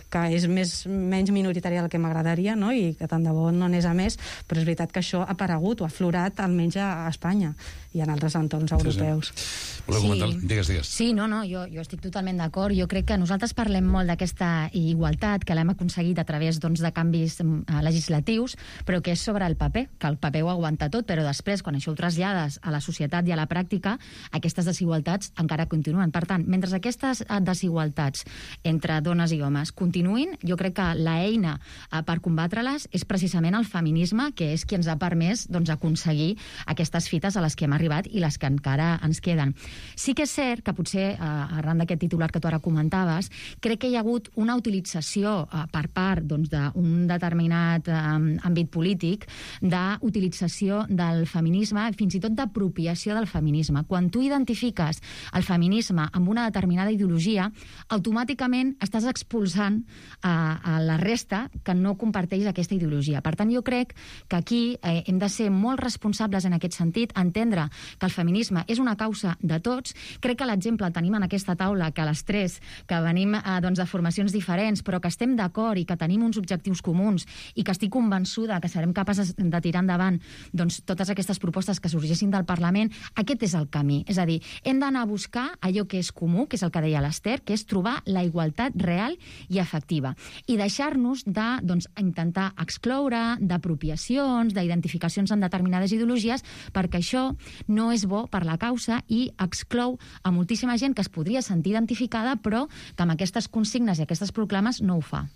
S13: que és més, menys minoritària del que m'agradaria, no?, i que tant de bo no anés a més, però és veritat que això ha aparegut o ha aflorat almenys a Espanya i en altres entorns europeus.
S8: Sí, sí. Voleu comentar? Sí. Digues, digues.
S14: Sí, no, no, jo, jo estic totalment d'acord. Jo crec que nosaltres parlem molt d'aquesta igualtat, que l'hem aconseguit a través, doncs, de canvis uh, legislatius, però que és sobre el paper, que el paper ho aguanta tot, però després, quan això ho trasllades a la societat i a la pràctica, aquestes desigualtats encara continuen. Per tant, mentre aquestes desigualtats entre dones i homes continuïn, jo crec que l'eina uh, per combatre-les és precisament el feminisme, que és qui ens ha permès, doncs, aconseguir aquestes fites a les que hem arribat i les que encara ens queden. Sí que és cert que potser, eh, arran d'aquest titular que tu ara comentaves, crec que hi ha hagut una utilització eh, per part, doncs, d'un determinat eh, àmbit polític, d'utilització del feminisme, fins i tot d'apropiació del feminisme. Quan tu identifiques el feminisme amb una determinada ideologia, automàticament estàs expulsant eh, a la resta que no comparteix aquesta ideologia. Per tant, jo crec que aquí eh, hem de ser molt responsables en aquest sentit, entendre que el feminisme és una causa de tots. Crec que l'exemple el tenim en aquesta taula, que les tres, que venim eh, doncs, de formacions diferents, però que estem d'acord i que tenim uns objectius comuns i que estic convençuda que serem capaces de tirar endavant, doncs, totes aquestes propostes que sorgissin del Parlament. Aquest és el camí. És a dir, hem d'anar a buscar allò que és comú, que és el que deia l'Ester, que és trobar la igualtat real i efectiva. I deixar-nos de, doncs, intentar excloure, d'apropiacions, d'identificacions en determinades ideologies, perquè això no és bo per la causa i llei exclou a moltíssima gent que es podria sentir identificada, però que amb aquestes consignes i aquestes proclames no ho fa.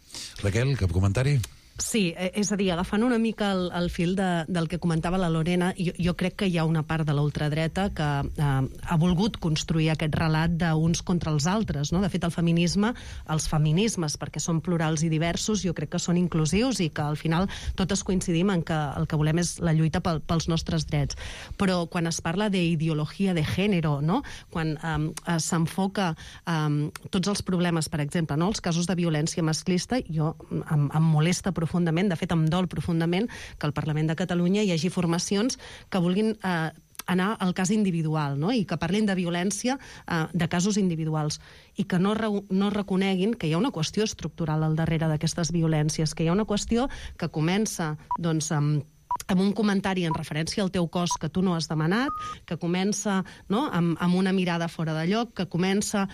S8: Raquel, cap comentari?
S12: Sí, és a dir, agafant una mica el, el fil de, del que comentava la Lorena, jo, jo crec que hi ha una part de la ultradreta que eh, ha volgut construir aquest relat d'uns contra els altres, no? De fet, el feminisme, els feminismes, perquè són plurals i diversos, jo crec que són inclusius i que al final totes coincidim en que el que volem és la lluita pel, pels nostres drets. Però quan es parla d'ideologia de gènere, no? Quan eh, s'enfoca eh, tots els problemes, per exemple, no? Els casos de violència masclista, jo em, em molesta profundament profundament, de fet em dol profundament que al Parlament de Catalunya hi hagi formacions que vulguin eh, anar al cas individual, no? I que parlin de violència eh, de casos individuals i que no, re no reconeguin que hi ha una qüestió estructural al darrere d'aquestes violències, que hi ha una qüestió que comença doncs, amb amb un comentari en referència al teu cos que tu no has demanat, que comença, no? amb, amb una mirada fora de lloc, que comença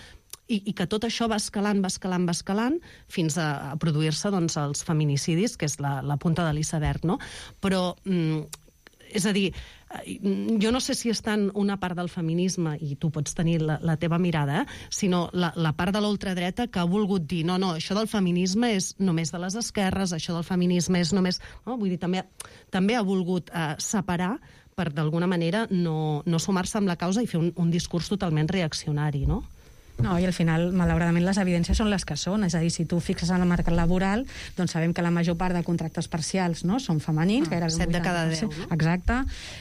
S12: I, i que tot això va escalant, va escalant, va escalant, fins a, a produir-se doncs, els feminicidis, que és la, la punta de l'iceberg, no? Però, mm, és a dir, jo no sé si és tant una part del feminisme, i tu pots tenir la, la teva mirada, eh? sinó la, la part de la ultradreta que ha volgut dir, no, no, això del feminisme és només de les esquerres, això del feminisme és només... No? Vull dir, també, també ha volgut eh, separar per, d'alguna manera, no, no sumar-se amb la causa i fer un, un discurs totalment reaccionari, no?
S13: No, i al final, malauradament, les evidències són les que són. És a dir, si tu fixes en el mercat laboral, doncs sabem que la major part de contractes parcials no, són femenins.
S12: Ah, set de cada deu, no?
S13: Exacte.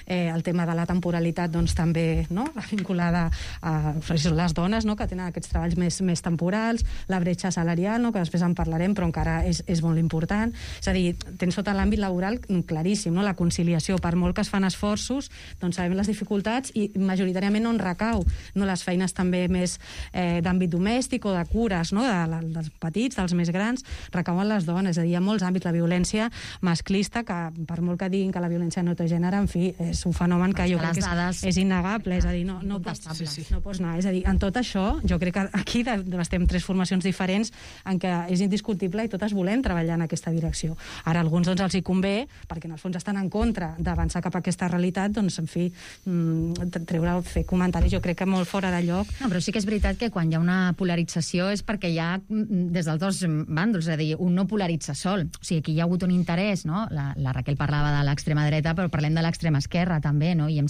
S13: Eh, el tema de la temporalitat, doncs, també no, vinculada a les dones, no, que tenen aquests treballs més, més temporals, la bretxa salarial, no, que després en parlarem, però encara és, és molt important. És a dir, tens tot l'àmbit laboral claríssim, no? La conciliació, per molt que es fan esforços, doncs sabem les dificultats i majoritàriament on recau, no, les feines també més... Eh, d'àmbit domèstic o de cures, no? de, dels petits, dels més grans, recauen les dones. És a dir, hi ha molts àmbits. La violència masclista, que per molt que diguin que la violència no té gènere, en fi, és un fenomen que jo crec que és, és innegable. És a dir, no, no, pots, sí, sí. no pots anar. És a dir, en tot això, jo crec que aquí estem tres formacions diferents en què és indiscutible i totes volem treballar en aquesta direcció. Ara, a alguns doncs, els hi convé, perquè en el fons estan en contra d'avançar cap a aquesta realitat, doncs, en fi, treure, fer comentaris, jo crec que molt fora de lloc.
S14: No, però sí que és veritat que quan hi ha una polarització és perquè hi ha des dels dos bàndols, és a dir, un no polaritza sol. O sigui, aquí hi ha hagut un interès, no? La, la Raquel parlava de l'extrema dreta, però parlem de l'extrema esquerra també, no? I em,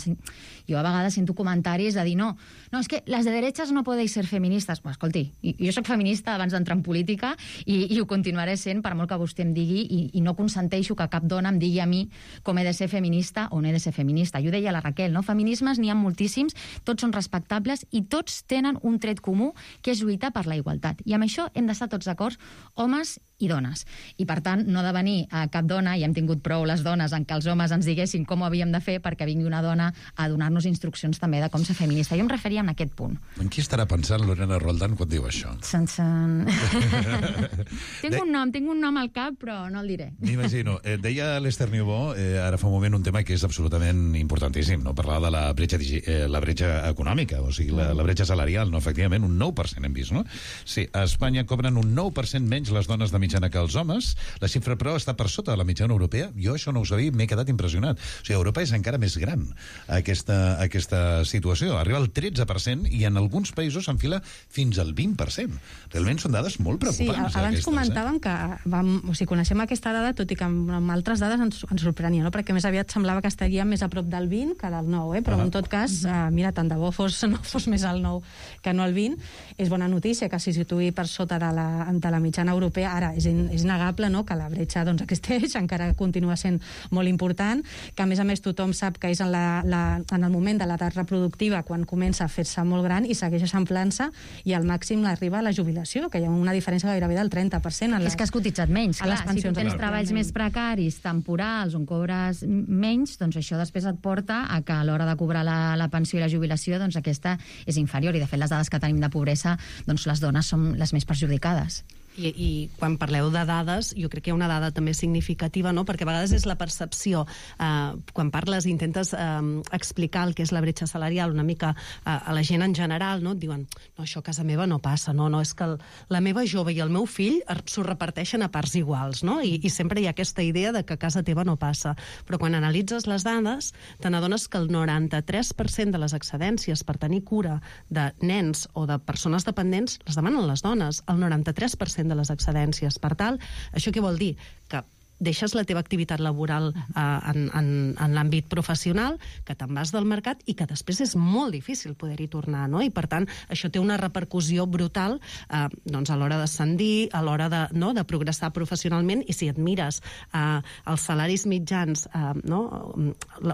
S14: jo a vegades sento comentaris de dir, no, no, és que les de derechas no podeu ser feministes. Pues, escolti, jo soc feminista abans d'entrar en política i, i ho continuaré sent per molt que vostè em digui i, i no consenteixo que cap dona em digui a mi com he de ser feminista o no he de ser feminista. Jo deia la Raquel, no? Feminismes n'hi ha moltíssims, tots són respectables i tots tenen un tret comú que és lluitar per la igualtat. I amb això hem d'estar tots d'acord, homes i dones. I, per tant, no ha de venir a cap dona, i hem tingut prou les dones en què els homes ens diguessin com ho havíem de fer perquè vingui una dona a donar-nos instruccions també de com ser feminista. Jo em referia a aquest punt.
S8: En qui estarà pensant Lorena Roldán quan diu això?
S14: Sense... tinc un nom, tinc un nom al cap, però no el diré.
S8: M'imagino. Eh, deia l'Esther Niubó, eh, ara fa un moment, un tema que és absolutament importantíssim, no? Parlar de la bretxa, eh, la bretxa econòmica, o sigui, la, la bretxa salarial, no? Efectivament, un nou per cent hem vist, no? Sí, a Espanya cobren un nou per cent menys les dones de mitjana que els homes. La xifra, però, està per sota de la mitjana europea. Jo això no ho sabia, m'he quedat impressionat. O sigui, Europa és encara més gran, aquesta, aquesta situació. Arriba al tretze per cent i en alguns països s'enfila fins al vint per cent. Realment són dades molt preocupants.
S13: Sí, abans
S8: aquestes,
S13: comentàvem
S8: eh?
S13: que vam, o sigui, coneixem aquesta dada, tot i que amb, amb altres dades ens, ens sorprenia, no? Perquè més aviat semblava que estaria més a prop del vint que del nou, eh? Però ah. en tot cas, eh, mira, tant de bo fos, no fos més al nou que no al vint. És bona notícia que s'hi situï per sota de la, de la mitjana europea. Ara, és, in, és innegable, no?, que la bretxa doncs, existeix, encara continua sent molt important, que a més a més tothom sap que és en, la, la, en el moment de l'edat reproductiva quan comença a fer-se molt gran i segueix eixamplant-se i al màxim arriba a la jubilació, que hi ha una diferència gairebé del trenta per cent. Les,
S14: és que has cotitzat menys, clar. Si tu tens treballs més precaris, temporals, on cobres menys, doncs això després et porta a que a l'hora de cobrar la, la pensió i la jubilació, doncs aquesta és inferior. I de fet les dades que tenim de pobresa, doncs les dones són les més perjudicades.
S12: I, i quan parleu de dades, jo crec que hi ha una dada també significativa, no? Perquè a vegades és la percepció. Eh, quan parles i intentes eh, explicar el que és la bretxa salarial una mica eh, a la gent en general, no? Et diuen, no, això a casa meva no passa, no, no, és que el, la meva jove i el meu fill s'ho reparteixen a parts iguals, no? I, i sempre hi ha aquesta idea de que a casa teva no passa. Però quan analitzes les dades, te n'adones que el noranta-tres per cent de les excedències per tenir cura de nens o de persones dependents les demanen les dones, el noranta-tres per cent de les excedències. Per tal, això què vol dir? Que deixes la teva activitat laboral eh, en, en, en l'àmbit professional, que te'n vas del mercat i que després és molt difícil poder-hi tornar, no? I per tant, això té una repercussió brutal eh, doncs a l'hora d'ascendir, a l'hora de, no, de progressar professionalment, i si et mires eh, els salaris mitjans, eh, no?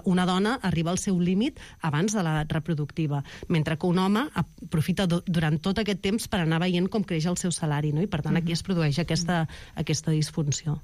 S12: Una dona arriba al seu límit abans de l'edat reproductiva, mentre que un home aprofita do, durant tot aquest temps per anar veient com creix el seu salari, no? I per tant aquí es produeix aquesta, aquesta disfunció.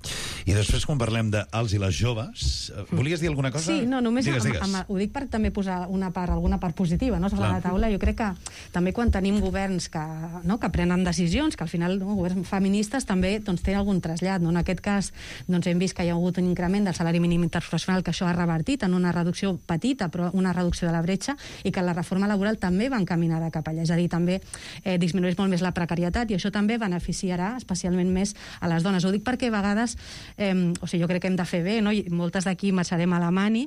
S8: I després, quan parlem dels i les joves, volies dir alguna cosa?
S13: Sí, no, només
S8: digues,
S13: amb,
S8: digues.
S13: amb, ho dic per també posar una part, alguna part positiva, no, sobre
S8: Clar.
S13: la taula. Jo crec que també quan tenim governs que, no, que prenen decisions, que al final, no, governs feministes també doncs, tenen algun trasllat. No? En aquest cas doncs, hem vist que hi ha hagut un increment del salari mínim interprofessional, que això ha revertit en una reducció petita, però una reducció de la bretxa, i que la reforma laboral també va encaminada cap allà. És a dir, també eh, disminueix molt més la precarietat, i això també beneficiarà especialment més a les dones. Ho dic perquè a vegades eh, o sigui, jo crec que hem de fer bé, no? I moltes d'aquí marxarem a la mani,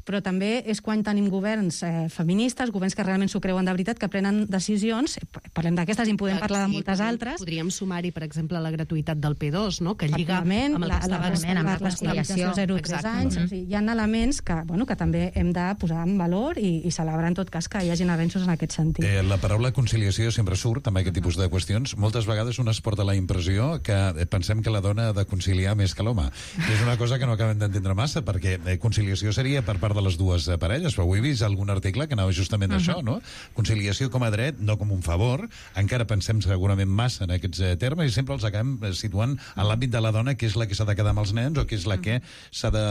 S13: però també és quan tenim governs eh, feministes, governs que realment s'ho creuen de veritat, que prenen decisions, parlem d'aquestes i en podem parlar de moltes
S12: podríem,
S13: altres.
S12: Podríem sumar-hi, per exemple, la gratuïtat del P dos, no? Que lliga amb el
S13: la,
S12: que
S13: la,
S12: estava...
S13: la, la conciliació zero a tres anys. O sigui, hi ha elements que, bueno, que també hem de posar en valor i, i celebrar en tot cas que hi hagin avenços en aquest sentit.
S8: Eh, la paraula conciliació sempre surt amb aquest tipus de qüestions. Moltes vegades un es porta la impressió que pensem que la dona ha de conciliar més que l'home. És una cosa que no acabem d'entendre massa, perquè eh, conciliació seria per part de les dues eh, parelles, però avui he vist algun article que anava justament uh -huh. d'això, no? Conciliació com a dret, no com un favor. Encara pensem segurament massa en aquests eh, termes i sempre els acabem situant en l'àmbit de la dona, que és la que s'ha de quedar amb els nens o que és la que s'ha de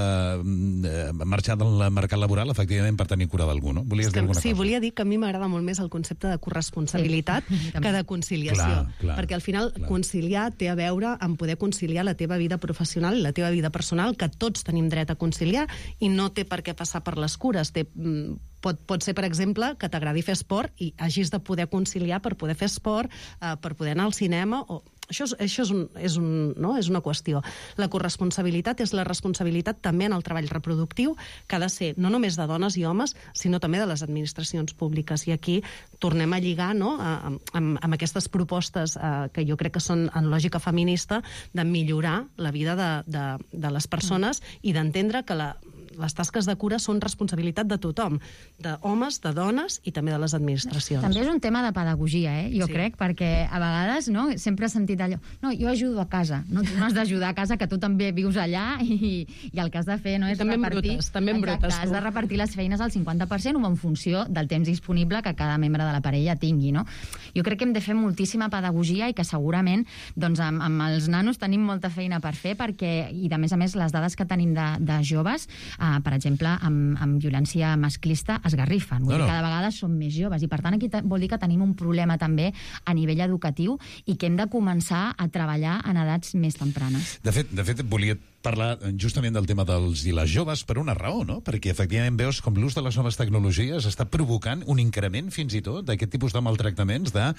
S8: eh, marxar del mercat laboral, efectivament, per tenir cura d'algú, no? Volies dir alguna
S12: sí,
S8: cosa?
S12: volia dir que a mi m'agrada molt més el concepte de corresponsabilitat sí. que de conciliació.
S8: Clar, clar,
S12: perquè al final
S8: clar.
S12: conciliar té a veure amb poder conciliar la teva vida professional i la teva vida personal, que tots tenim dret a conciliar, i no té per què passar per les cures. Té, pot, pot ser, per exemple, que t'agradi fer esport i hagis de poder conciliar per poder fer esport, eh, per poder anar al cinema, o... Això, és, això és, un, és, un, no? és una qüestió. La corresponsabilitat és la responsabilitat també en el treball reproductiu, que ha de ser no només de dones i homes, sinó també de les administracions públiques. I aquí tornem a lligar, no? amb, amb, amb aquestes propostes eh, que jo crec que són en lògica feminista, de millorar la vida de, de, de les persones i d'entendre que la, les tasques de cura són responsabilitat de tothom, d'homes, de dones i també de les administracions.
S14: També és un tema de pedagogia, eh? jo sí. crec, perquè a vegades no, sempre he sentit allò, no, jo ajudo a casa, no, tu no has d'ajudar a casa, que tu també vius allà i, i el que has de fer no, és
S12: també
S14: repartir...
S12: Brutes, també
S14: exacte,
S12: brutes,
S14: has de repartir les feines al cinquanta per cent o en funció del temps disponible que cada membre de la parella tingui, no? Jo crec que hem de fer moltíssima pedagogia i que segurament doncs, amb, amb els nanos tenim molta feina per fer, perquè, i de més a més les dades que tenim de, de joves, eh, per exemple, amb, amb violència masclista esgarrifen. Vull no, no. dir, cada vegada són més joves i per tant aquí vol dir que tenim un problema també a nivell educatiu i que hem de començar a treballar en edats més tempranes.
S8: De fet, de fet volia parlar justament del tema dels i les joves per una raó, no? Perquè efectivament veus com l'ús de les noves tecnologies està provocant un increment fins i tot d'aquest tipus de maltractaments de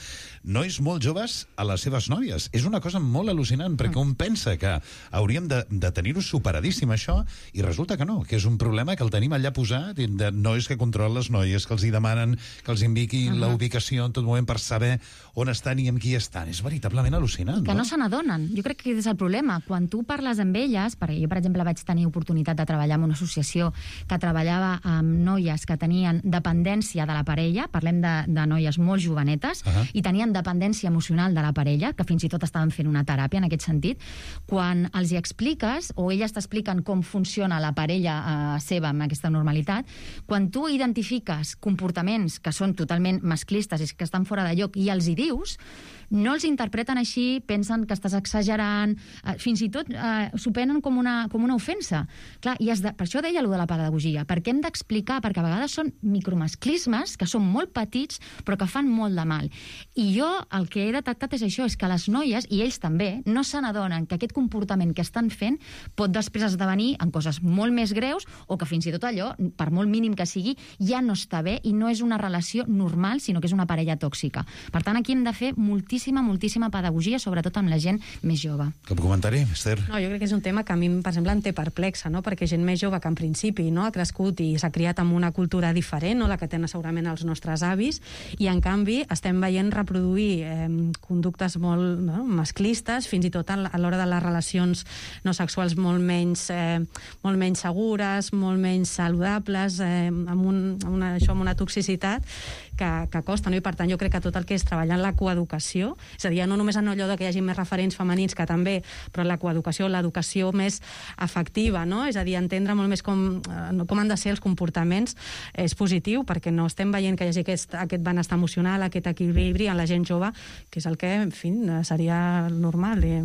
S8: nois molt joves a les seves nòvies. És una cosa molt al·lucinant, perquè un pensa que hauríem de, de tenir-ho superadíssim això i resulta que no, que és un problema que el tenim allà posat, de nois que controlen les noies, que els hi demanen que els indiqui uh -huh. la ubicació en tot moment per saber on estan i amb qui estan. És veritablement al·lucinant,
S14: que no, no se n'adonen. Jo crec que és el problema. Quan tu parles amb elles, perquè jo, per exemple, vaig tenir oportunitat de treballar en una associació que treballava amb noies que tenien dependència de la parella, parlem de, de noies molt jovenetes, uh -huh. i tenien dependència emocional de la parella, que fins i tot estaven fent una teràpia en aquest sentit. Quan els hi expliques, o elles t'expliquen com funciona la parella eh, seva amb aquesta normalitat, quan tu identifiques comportaments que són totalment masclistes i que estan fora de lloc i els hi dius, no els interpreten així, pensen que estàs exagerant, eh, fins i tot eh, s'ho prenen com una, com una ofensa. Clar, i has de, per això deia allò de la pedagogia, perquè hem d'explicar, perquè a vegades són micromasclismes que són molt petits però que fan molt de mal. I jo el que he detectat és això, és que les noies, i ells també, no se n'adonen que aquest comportament que estan fent pot després esdevenir en coses molt més greus o que fins i tot allò, per molt mínim que sigui, ja no està bé i no és una relació normal, sinó que és una parella tòxica. Per tant, aquí hem de fer moltíssima, moltíssima pedagogia, sobretot amb la gent més jove.
S8: Cap comentari, Esther?
S13: No, jo crec que és un tema que a mi, per exemple, em té perplexa, no? Perquè gent més jove que en principi no? ha crescut i s'ha criat amb una cultura diferent, no? La que tenen segurament els nostres avis, i en canvi estem veient reproduir eh, conductes molt no? masclistes, fins i tot a l'hora de les relacions no sexuals molt menys, eh, molt menys segures, molt menys saludables, eh, amb, un, amb, una, això, amb una toxicitat que, que costa, no? I per tant jo crec que tot el que és treballar en la coeducació, és a dir, no només en allò que hi hagi més referents femenins, que també, però la coeducació, l'educació més afectiva, no? És a dir, entendre molt més com, com han de ser els comportaments és positiu, perquè no estem veient que hi hagi aquest, aquest benestar emocional, aquest equilibri en la gent jove, que és el que, en fi, seria normal. I...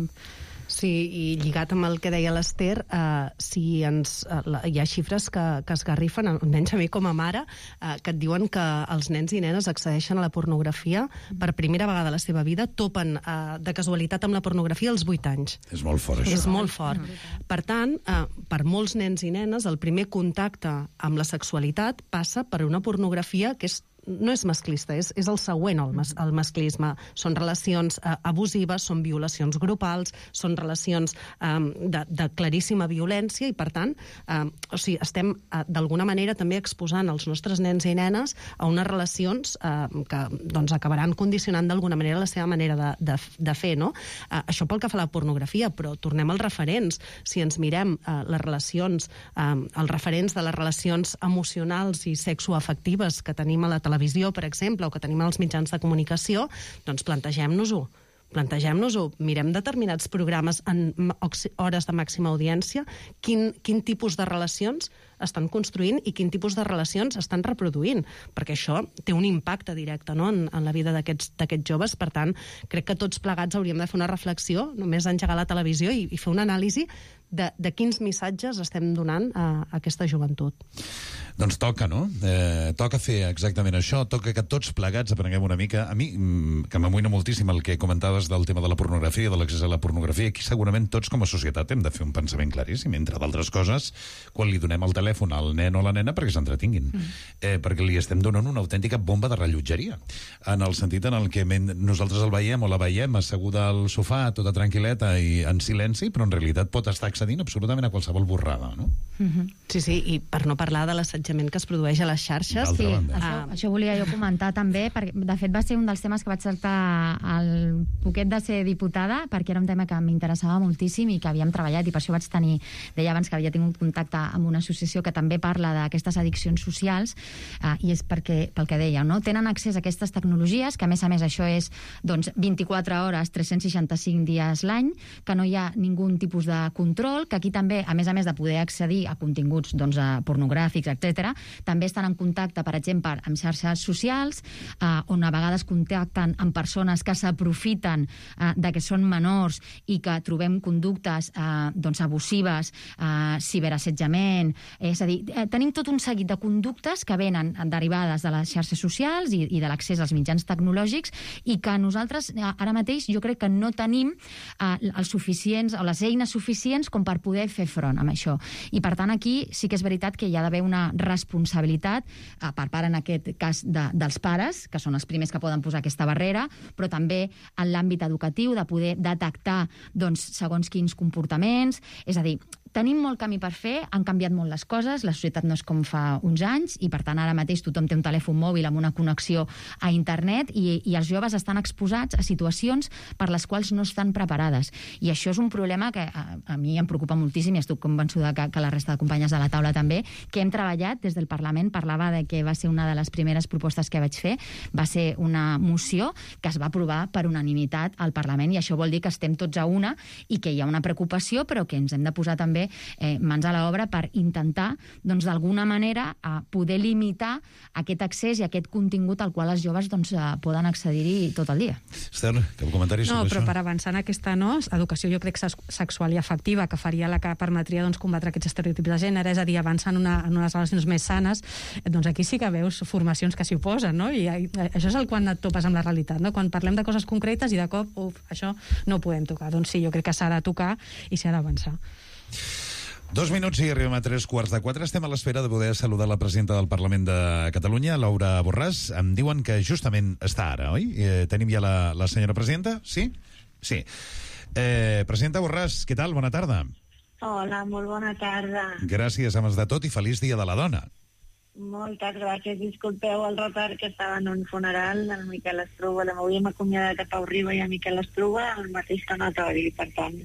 S12: Sí, i lligat amb el que deia l'Ester, eh, si ens, eh, hi ha xifres que, que esgarrifen, almenys a mi com a mare, eh, que et diuen que els nens i nenes accedeixen a la pornografia per primera vegada a la seva vida, topen eh, de casualitat amb la pornografia als vuit anys.
S8: És molt fort, això.
S12: És molt fort. Per tant, eh, per molts nens i nenes, el primer contacte amb la sexualitat passa per una pornografia que és no és masclista, és, és el següent al mas, el masclisme. Són relacions eh, abusives, són violacions grupals, són relacions eh, de, de claríssima violència i, per tant, eh, o sigui, estem eh, d'alguna manera també exposant els nostres nens i nenes a unes relacions eh, que doncs, acabaran condicionant d'alguna manera la seva manera de, de, de fer, no? Eh, això pel que fa a la pornografia, però tornem als referents. Si ens mirem eh, les relacions, eh, els referents de les relacions emocionals i sexoafectives que tenim a la televisió, televisió, per exemple, o que tenim als mitjans de comunicació, doncs plantegem-nos-ho. Plantegem-nos-ho, mirem determinats programes en hores de màxima audiència, quin, quin tipus de relacions estan construint i quin tipus de relacions estan reproduint, perquè això té un impacte directe, no?, en, en la vida d'aquests d'aquests joves. Per tant, crec que tots plegats hauríem de fer una reflexió, només d'engegar la televisió i, i fer una anàlisi de, de quins missatges estem donant a, a aquesta joventut.
S8: Doncs toca, no? Eh, toca fer exactament això, toca que tots plegats aprenguem una mica. A mi, que m'amoïna moltíssim el que comentaves del tema de la pornografia, de l'accés a la pornografia, aquí segurament tots com a societat hem de fer un pensament claríssim, entre d'altres coses, quan li donem el telèfon al nen o la nena perquè s'entretinguin, mm. eh, perquè li estem donant una autèntica bomba de rellotgeria, en el sentit en el que nosaltres el veiem o la veiem asseguda al sofà, tota tranquil·leta i en silenci, però en realitat pot estar accedint absolutament a qualsevol borrada, no?
S12: Mm-hmm. Sí, sí, i per no parlar de l'assetjament que es produeix a les xarxes.
S14: Sí, això, ah. això volia jo comentar també, perquè de fet va ser un dels temes que vaig tractar al poquet de ser diputada, perquè era un tema que m'interessava moltíssim i que havíem treballat, i per això vaig tenir, deia abans que havia tingut contacte amb una associació que també parla d'aquestes addiccions socials, eh, i és perquè, pel que deia, no? Tenen accés a aquestes tecnologies, que a més a més això és doncs, vint-i-quatre hores, tres cents seixanta-cinc dies l'any, que no hi ha ningú tipus de control, que aquí també, a més a més de poder accedir a continguts doncs, a pornogràfics, etcètera, també estan en contacte, per exemple, amb xarxes socials, eh, on a vegades contacten amb persones que s'aprofiten eh, de que són menors i que trobem conductes eh, doncs, abusives, eh, ciberassetjament, és a dir, eh, tenim tot un seguit de conductes que venen derivades de les xarxes socials i, i de l'accés als mitjans tecnològics, i que nosaltres eh, ara mateix jo crec que no tenim eh, els suficients o les eines suficients com per poder fer front amb això. I per tant aquí sí que és veritat que hi ha d'haver una responsabilitat eh, per part en aquest cas de, dels pares, que són els primers que poden posar aquesta barrera, però també en l'àmbit educatiu de poder detectar doncs, segons quins comportaments, és a dir, tenim molt camí per fer, han canviat molt les coses, la societat no és com fa uns anys, i per tant ara mateix tothom té un telèfon mòbil amb una connexió a internet, i, i els joves estan exposats a situacions per les quals no estan preparades. I això és un problema que a, a mi em preocupa moltíssim, i estic convençuda que, que la resta de companyes de la taula també, que hem treballat des del Parlament. Parlava de que va ser una de les primeres propostes que vaig fer, va ser una moció que es va aprovar per unanimitat al Parlament, i això vol dir que estem tots a una i que hi ha una preocupació, però que ens hem de posar també també eh, mans a l'obra per intentar, doncs, d'alguna manera, a poder limitar aquest accés i aquest contingut al qual els joves doncs, poden accedir-hi tot el dia.
S8: Esther, cap comentari sobre
S13: no,
S8: això?
S13: No, però per avançar en aquesta no, educació jo crec sexual i afectiva, que faria la que permetria doncs, combatre aquests estereotips de gènere, és a dir, avançar en, una, en unes relacions més sanes, doncs aquí sí que veus formacions que s'hi oposen, no? I, I això és el quan et topes amb la realitat, no? Quan parlem de coses concretes i de cop, uf, això no ho podem tocar. Doncs sí, jo crec que s'ha de tocar i s'ha d'avançar.
S8: Dos minuts i arribem a tres quarts de quatre. Estem a l'espera de poder saludar la presidenta del Parlament de Catalunya, Laura Borràs. Em diuen que justament està ara, oi? Eh, tenim ja la, la senyora presidenta? Sí? Sí. Eh, presidenta Borràs, què tal? Bona tarda.
S15: Hola, molt bona tarda.
S8: Gràcies, abans de tot, i feliç Dia de la Dona.
S15: Moltes gràcies. Disculpeu el retard, que estava en un funeral del Miquel Estruga. Avui hem acomiadat a Pau Riba i a Miquel Estruga al mateix tanatori, per tant...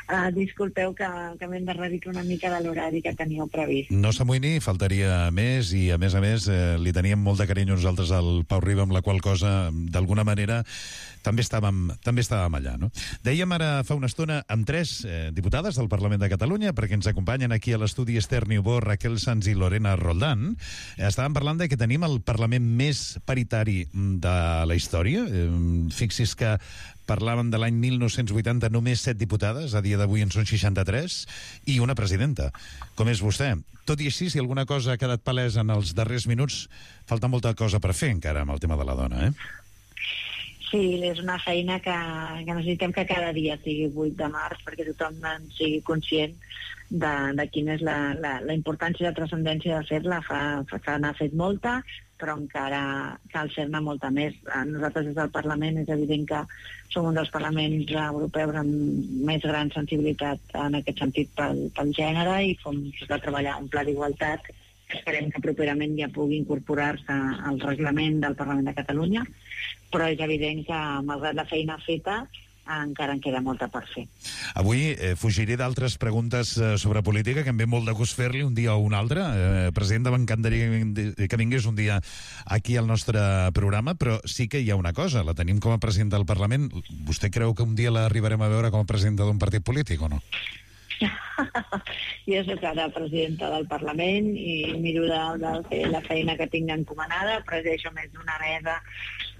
S15: Uh, disculpeu que, que m'hem de redicar una mica de l'horari que teníeu previst.
S8: No s'amoïni, faltaria més, i a més a més eh, li teníem molt de carinyo nosaltres al Pau Riba, amb la qual cosa, d'alguna manera, també estàvem, també estàvem allà, no? Dèiem ara fa una estona amb tres eh, diputades del Parlament de Catalunya, perquè ens acompanyen aquí a l'estudi Esther Niubó, Raquel Sanz i Lorena Roldán. Estàvem parlant de que tenim el Parlament més paritari de la història. Eh, fixi's que parlàvem de l'any mil nou-cents vuitanta, només set diputades, a dia d'avui en són seixanta-tres, i una presidenta, com és vostè. Tot i així, si alguna cosa ha quedat palesa en els darrers minuts, falta molta cosa per fer encara amb el tema de la dona, eh?
S15: Sí, és una feina que, que necessitem que cada dia sigui vuit de març, perquè tothom en sigui conscient de, de quina és la, la, la importància i la transcendència de fer-la. Fa, fa n'ha fet molta, però encara cal fer-ne molta més. Nosaltres des del Parlament és evident que som un dels parlaments europeus amb més gran sensibilitat en aquest sentit pel, pel gènere, i fem de treballar un pla d'igualtat que esperem que properament ja pugui incorporar-se al reglament del Parlament de Catalunya, però és evident que, malgrat la feina feta, encara en queda molta per fer.
S8: Avui eh, fugiré d'altres preguntes eh, sobre política, que em ve molt de gust fer-li un dia o un altre. Eh, presidenta, m'encantaria que vingués un dia aquí al nostre programa, però sí que hi ha una cosa, la tenim com a presidenta del Parlament. Vostè creu que un dia l'arribarem a veure com a presidenta d'un partit polític o no?
S15: Jo soc ara presidenta del Parlament i miro de, de fer la feina que tinc encomanada. Presideixo més d'una mesa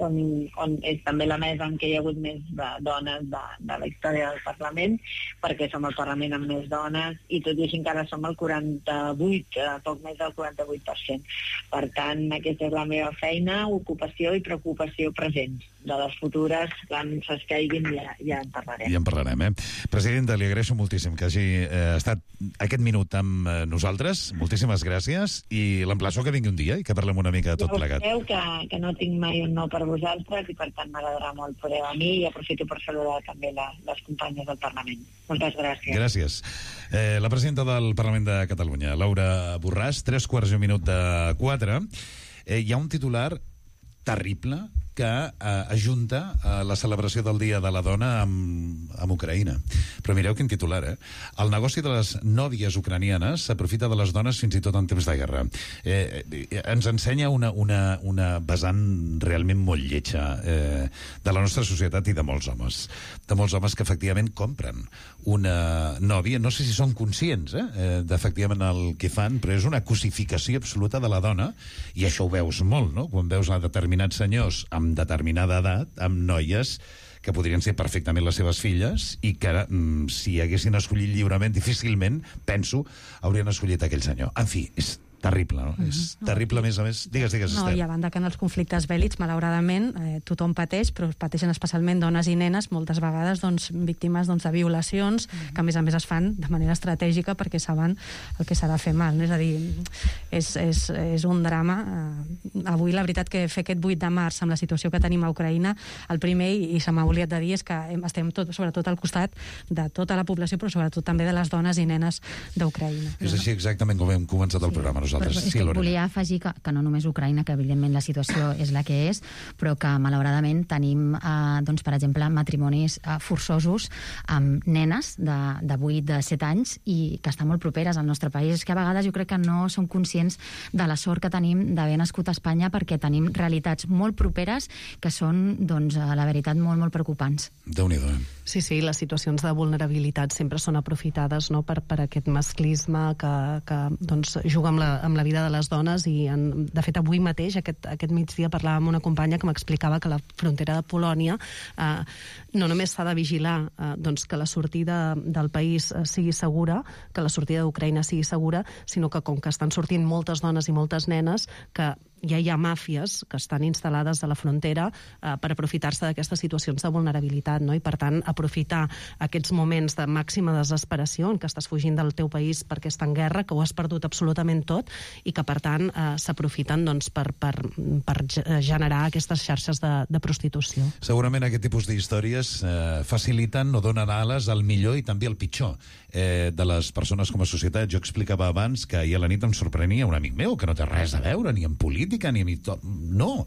S15: on, on és també la mesa en què hi ha hagut més de dones de, de la història del Parlament, perquè som el Parlament amb més dones, i tot i així encara som el quaranta-vuit, poc més del quaranta-vuit per cent. Per tant, aquesta és la meva feina, ocupació i preocupació presents. De les futures, quan s'escaiguin, ja, ja en parlarem.
S8: Ja en parlarem, eh? Presidenta, li agraeixo moltíssim que hagi eh, estat aquest minut amb eh, nosaltres. Moltíssimes gràcies, i l'emplaço que vingui un dia i que parlem una mica de tot plegat.
S15: Ja que, que no tinc mai un no per vosaltres, i per tant m'agradarà molt poder venir, i aprofito per saludar també la, les companyes del Parlament. Moltes gràcies.
S8: Gràcies. Eh, la presidenta del Parlament de Catalunya, Laura Borràs, tres quarts i un minut de quatre. Eh, hi ha un titular terrible que eh, ajunta eh, la celebració del Dia de la Dona amb, amb Ucraïna. Però mireu quin titular, eh? El negoci de les nòvies ucranianes s'aprofita de les dones fins i tot en temps de guerra. Eh, eh, ens ensenya una, una, una vessant realment molt lletja eh, de la nostra societat i de molts homes. De molts homes que efectivament compren una nòvia, no sé si són conscients eh, d'efectivament el que fan, però és una cosificació absoluta de la dona, i això ho veus molt, no? Quan veus a determinats senyors amb determinada edat, amb noies que podrien ser perfectament les seves filles, i que mm, si haguessin escollit lliurement, difícilment, penso, haurien escollit aquell senyor. En fi, és terrible, no? Uh-huh. És terrible, a més a més. Digues, digues,
S13: no,
S8: Esther.
S13: I a banda que en els conflictes bèl·lics, malauradament, eh, tothom pateix, però pateixen especialment dones i nenes, moltes vegades doncs, víctimes doncs, de violacions, uh-huh. que a més a més es fan de manera estratègica perquè saben el que s'ha de fer mal. No? És a dir, és, és, és un drama. Eh, avui, la veritat, que fer aquest vuit de març amb la situació que tenim a Ucraïna, el primer, i se m'ha oblidat de dir, és que estem tot, sobretot al costat de tota la població, però sobretot també de les dones i nenes d'Ucraïna.
S8: És així exactament com hem començat el programa nosaltres. nosaltres.
S14: Però,
S8: Sí, Lorena.
S14: volia afegir que, que no només Ucraïna, que evidentment la situació és la que és, però que malauradament tenim, eh, doncs, per exemple, matrimonis eh, forçosos amb nenes de, de vuit, de set anys i que estan molt properes al nostre país. És que a vegades jo crec que no som conscients de la sort que tenim d'haver nascut a Espanya, perquè tenim realitats molt properes que són, doncs, la veritat, molt, molt preocupants.
S8: Déu-n'hi-do, eh?
S12: Sí, sí, les situacions de vulnerabilitat sempre són aprofitades, no?, per, per aquest masclisme que, que doncs, juga amb la, amb la vida de les dones i, en, de fet, avui mateix, aquest, aquest migdia, parlava amb una companya que m'explicava que la frontera de Polònia eh, no només s'ha de vigilar eh, doncs, que la sortida del país eh, sigui segura, que la sortida d'Ucraïna sigui segura, sinó que com que estan sortint moltes dones i moltes nenes, que ja hi ha màfies que estan instal·lades a la frontera eh, per aprofitar-se d'aquestes situacions de vulnerabilitat, no? I per tant aprofitar aquests moments de màxima desesperació en què estàs fugint del teu país perquè està en guerra, que ho has perdut absolutament tot i que per tant eh, s'aprofiten doncs, per, per, per generar aquestes xarxes de, de prostitució.
S8: Segurament aquest tipus d'històries eh, faciliten o donen ales al millor i també al pitjor eh, de les persones com a societat. Jo explicava abans que ahir a la nit em sorprenia un amic meu que no té res a veure ni en política ni en... No,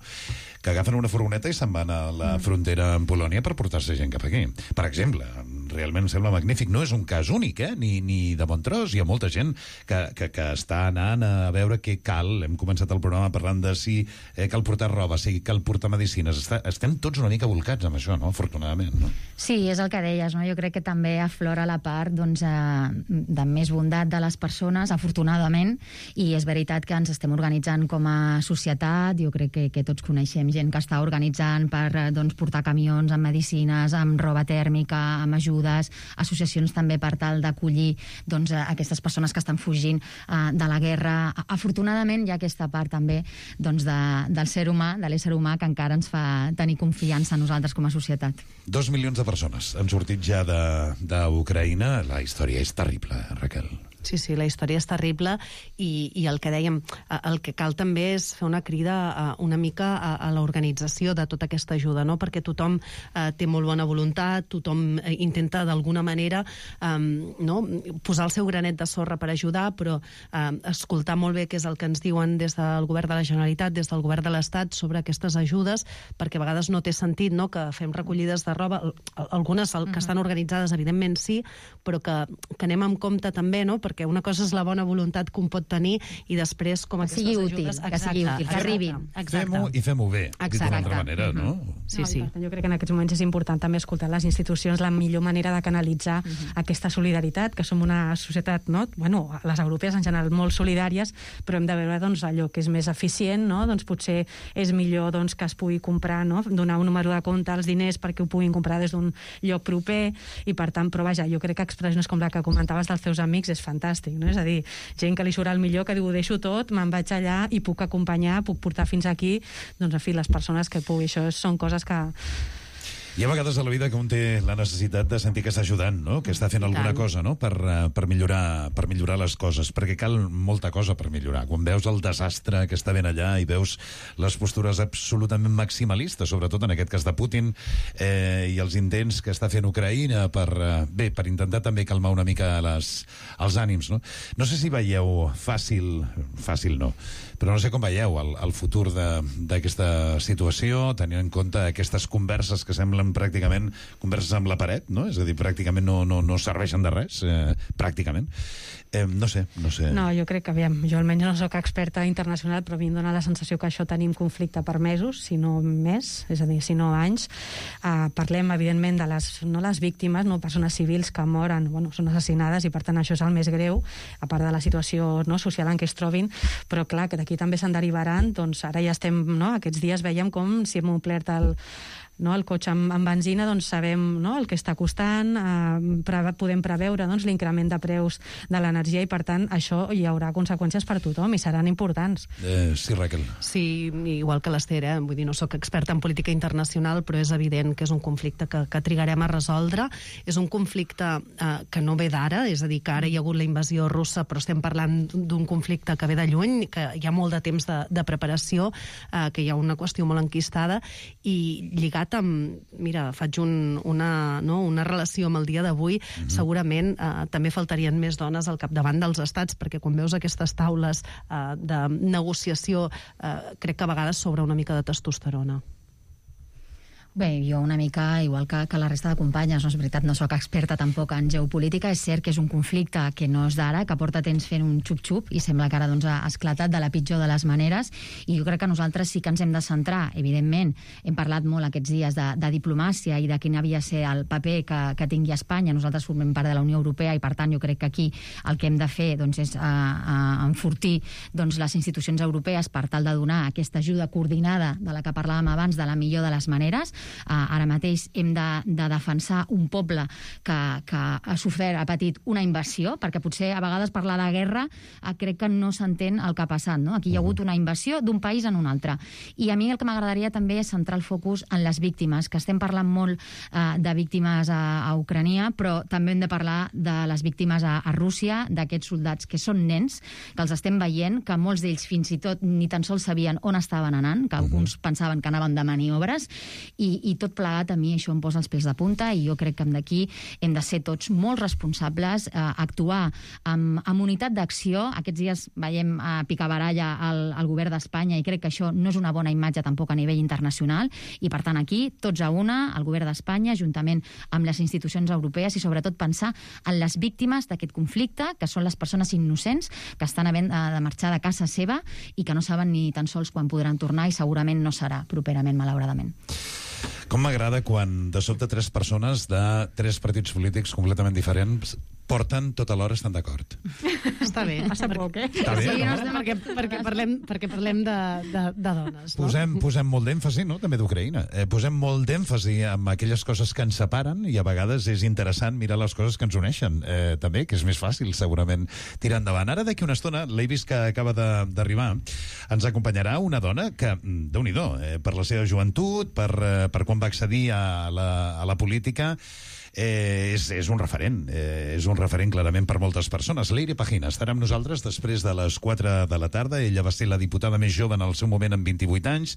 S8: que agafen una furgoneta i se'n van a la frontera amb Polònia per portar-se gent cap aquí. Per exemple, realment em sembla magnífic. No és un cas únic, eh? Ni, ni de bon tros. Hi ha molta gent que, que, que està anant a veure què cal. Hem començat el programa parlant de si eh, cal portar roba, si cal portar medicines. Està, estem tots una mica volcats amb això, no? Afortunadament, no?
S14: Sí, és el que deies, no? Jo crec que també aflora la part, doncs, eh, de més bondat de les persones, afortunadament, i és veritat que ens estem organitzant com a societat. Jo crec que, que tots coneixem gent que està organitzant per, doncs, portar camions amb medicines, amb roba tèrmica, amb ajudes, associacions també per tal d'acollir, doncs, aquestes persones que estan fugint uh, de la guerra. Afortunadament hi ha aquesta part també, doncs, de, del ser humà, de l'ésser humà, que encara ens fa tenir confiança en nosaltres com a societat.
S8: Dos milions de persones han sortit ja d'Ucraïna. La història és terrible, Raquel.
S12: Sí, sí, la història és terrible i, i el que dèiem, el que cal també és fer una crida a, una mica a, a l'organització de tota aquesta ajuda, no? Perquè tothom eh, té molt bona voluntat, tothom eh, intenta d'alguna manera eh, no? posar el seu granet de sorra per ajudar, però eh, escoltar molt bé què és el que ens diuen des del govern de la Generalitat, des del govern de l'Estat sobre aquestes ajudes, perquè a vegades no té sentit, no?, que fem recollides de roba, algunes que estan organitzades evidentment sí, però que, que anem amb compte també, no?, perquè una cosa és la bona voluntat que un pot tenir i després com aquestes
S14: sigui
S12: ajudes...
S14: útil, que sigui útil, que arribin.
S8: Fem-ho i fem-ho bé, dit d'una altra manera, no?
S13: Sí, sí. No, jo crec que en aquests moments és important també escoltar les institucions, la millor manera de canalitzar uh-huh. aquesta solidaritat, que som una societat, no? Bueno, les europees en general molt solidàries, però hem de veure, doncs, allò que és més eficient, no? Doncs potser és millor, doncs, que es pugui comprar, no?, donar un número de compte als diners perquè ho puguin comprar des d'un lloc proper i per tant, però vaja, jo crec que expressions com la que comentaves dels teus amics és fantàstic. Fantàstic, no? És a dir, gent que li surt el millor, que diu, ho deixo tot, me'n vaig allà i puc acompanyar, puc portar fins aquí, doncs, en fi, les persones que pugui. Això són coses que...
S8: Hi ha vegades a la vida que un té la necessitat de sentir que està ajudant, no?, que està fent alguna cosa, no?, per, per, millorar, per millorar les coses, perquè cal molta cosa per millorar. Quan veus el desastre que està ben allà i veus les postures absolutament maximalistes, sobretot en aquest cas de Putin, eh, i els intents que està fent Ucraïna per, eh, bé, per intentar també calmar una mica les, els ànims, no? No sé si veieu fàcil, fàcil no, però no sé com veieu el, el futur d'aquesta situació, tenint en compte aquestes converses que semblen pràcticament converses amb la paret, no? És a dir, pràcticament no, no, no serveixen de res, eh, pràcticament. Eh, no sé, no sé.
S13: No, jo crec que, aviam, jo almenys no soc experta internacional, però a mi em dóna la sensació que això tenim conflicte per mesos, si no més, és a dir, si no anys. Uh, parlem, evidentment, de les, no les víctimes, no persones civils que moren, bueno, són assassinades, i per tant això és el més greu, a part de la situació, no, social en què es trobin, però clar, que d'aquí també se'n derivaran, doncs ara ja estem, no, aquests dies veiem com si hem omplert el no, el cotxe amb, amb benzina, doncs sabem, no, el que està costant, eh, pre podem preveure, doncs, l'increment de preus de l'energia i, per tant, això hi haurà conseqüències per tothom i seran importants.
S8: Eh, sí, Raquel.
S12: Sí, igual que l'Ester, eh? Vull dir, no sóc experta en política internacional, però és evident que és un conflicte que, que trigarem a resoldre. És un conflicte eh, que no ve d'ara, és a dir, que ara hi ha hagut la invasió russa, però estem parlant d'un conflicte que ve de lluny, que hi ha molt de temps de, de preparació, eh, que hi ha una qüestió molt enquistada, i lligat lligat amb... Mira, faig un, una, no, una relació amb el dia d'avui. Mm-hmm. Segurament eh, també faltarien més dones al capdavant dels estats, perquè quan veus aquestes taules eh, de negociació, eh, crec que a vegades sobra una mica de testosterona.
S14: Bé, jo una mica, igual que, que la resta de companyes, no és veritat, no sóc experta tampoc en geopolítica, és cert que és un conflicte que no és d'ara, que porta temps fent un xup-xup i sembla que ara doncs, ha esclatat de la pitjor de les maneres, i jo crec que nosaltres sí que ens hem de centrar, evidentment, hem parlat molt aquests dies de, de diplomàcia i de quin havia de ser el paper que, que tingui Espanya. Nosaltres formem part de la Unió Europea i per tant jo crec que aquí el que hem de fer doncs, és uh, uh, enfortir doncs, les institucions europees per tal de donar aquesta ajuda coordinada de la que parlàvem abans de la millor de les maneres. Uh, ara mateix hem de, de defensar un poble que, que ha sofert, ha patit una invasió, perquè potser a vegades parlar de guerra uh, crec que no s'entén el que ha passat, no? Aquí hi ha hagut una invasió d'un país en un altre. I a mi el que m'agradaria també és centrar el focus en les víctimes, que estem parlant molt uh, de víctimes a, a Ucrania, però també hem de parlar de les víctimes a, a Rússia, d'aquests soldats que són nens, que els estem veient, que molts d'ells fins i tot ni tan sols sabien on estaven anant, que alguns pensaven que anaven de maniobres, i i tot plegat a mi això em posa els pèls de punta i jo crec que d'aquí hem de ser tots molt responsables, eh, actuar amb, amb unitat d'acció. Aquests dies veiem eh, picabaralla al, al govern d'Espanya i crec que això no és una bona imatge tampoc a nivell internacional i per tant aquí tots a una, el govern d'Espanya juntament amb les institucions europees i sobretot pensar en les víctimes d'aquest conflicte, que són les persones innocents que estan havent eh, de marxar de casa seva i que no saben ni tan sols quan podran tornar i segurament no serà properament, malauradament.
S8: Com m'agrada quan de sobte tres persones de tres partits polítics completament diferents porten tota l'hora estan d'acord.
S12: Està bé.
S13: Passa poc, eh?
S8: Està bé,
S12: sí,
S8: no?
S12: no? Perquè, perquè parlem, perquè parlem de, de, de dones. No?
S8: Posem, posem molt d'èmfasi, no?, també d'Ucraïna. Eh, posem molt d'èmfasi en aquelles coses que ens separen i a vegades és interessant mirar les coses que ens uneixen. Eh, també, que és més fàcil, segurament, tirar endavant. Ara, d'aquí una estona, l'he vist que acaba d'arribar, ens acompanyarà una dona que, déu-n'hi-do, eh, per la seva joventut, per, eh, per quan va accedir a la, a la política, Eh, és, és un referent, eh, és un referent clarament per moltes persones. Leire Pagina estarà amb nosaltres després de les quatre de la tarda. Ella va ser la diputada més jove en el seu moment amb vint-i-vuit anys,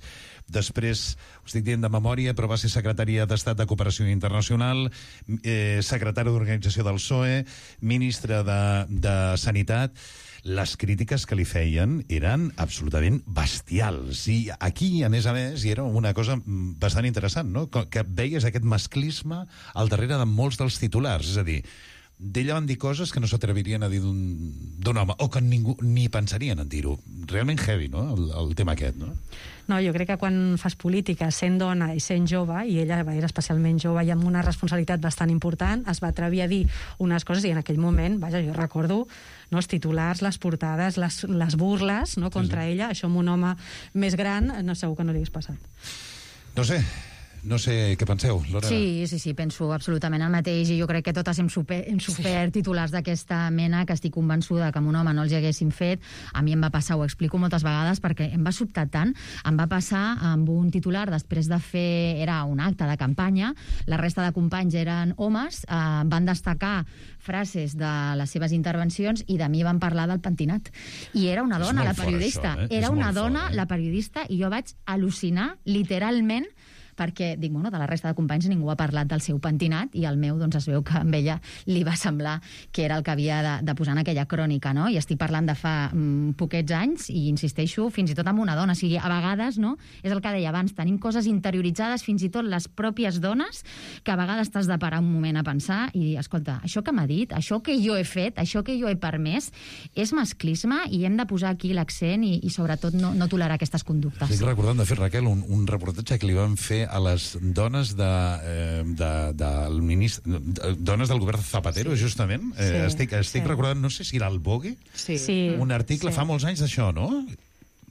S8: després, ho estic dient de memòria, però va ser secretària d'Estat de Cooperació Internacional, eh, secretària d'Organització del P S O E, ministra de, de Sanitat. Les crítiques que li feien eren absolutament bestials. I aquí, a més a més, hi era una cosa bastant interessant, no?, que veies aquest masclisme al darrere de molts dels titulars. És a dir, d'ella van dir coses que no s'atrevirien a dir d'un home, o que ningú ni pensarien en dir-ho. Realment heavy, no?, el, el tema aquest, no?
S13: No, jo crec que quan fas política sent dona i sent jove, i ella era especialment jove i amb una responsabilitat bastant important, es va atrevir a dir unes coses i en aquell moment, vaja, jo recordo no, els titulars, les portades, les, les burles no, contra sí, sí. ella, això amb un home més gran, no, segur que no li hagués passat.
S8: No sé, no sé què penseu, Lorena.
S14: Sí, sí, sí, penso absolutament el mateix i jo crec que totes hem, super, hem sofert sí. titulars d'aquesta mena que estic convençuda que amb un home no els haguessin fet. A mi em va passar, ho explico moltes vegades perquè em va sobtar tant. Em va passar amb un titular després de fer, era un acte de campanya, la resta de companys eren homes, eh, van destacar frases de les seves intervencions i de mi van parlar del pentinat. I era una dona, la periodista. Això, eh? Era una dona, fort, eh? La periodista, i jo vaig al·lucinar, literalment, perquè, dic, bueno, de la resta de companys ningú ha parlat del seu pentinat i el meu, doncs, es veu que amb ella li va semblar que era el que havia de, de posar en aquella crònica, no? I estic parlant de fa mm, poquets anys i insisteixo, fins i tot amb una dona. O sigui, a vegades, no?, és el que deia abans, tenim coses interioritzades, fins i tot les pròpies dones, que a vegades t'has de parar un moment a pensar i dir, escolta, això que m'ha dit, això que jo he fet, això que jo he permès, és masclisme i hem de posar aquí l'accent i, i sobretot no, no tolerar aquestes conductes.
S8: Estic recordant, de fet, Raquel, un, un reportatge que li van fer a les dones de, eh, de, de, del ministre, dones del govern Zapatero, sí. justament. Eh, sí, estic estic sí. recordant, no sé si era el Vogue,
S12: sí.
S8: un article
S12: sí.
S8: fa molts anys d'això, no?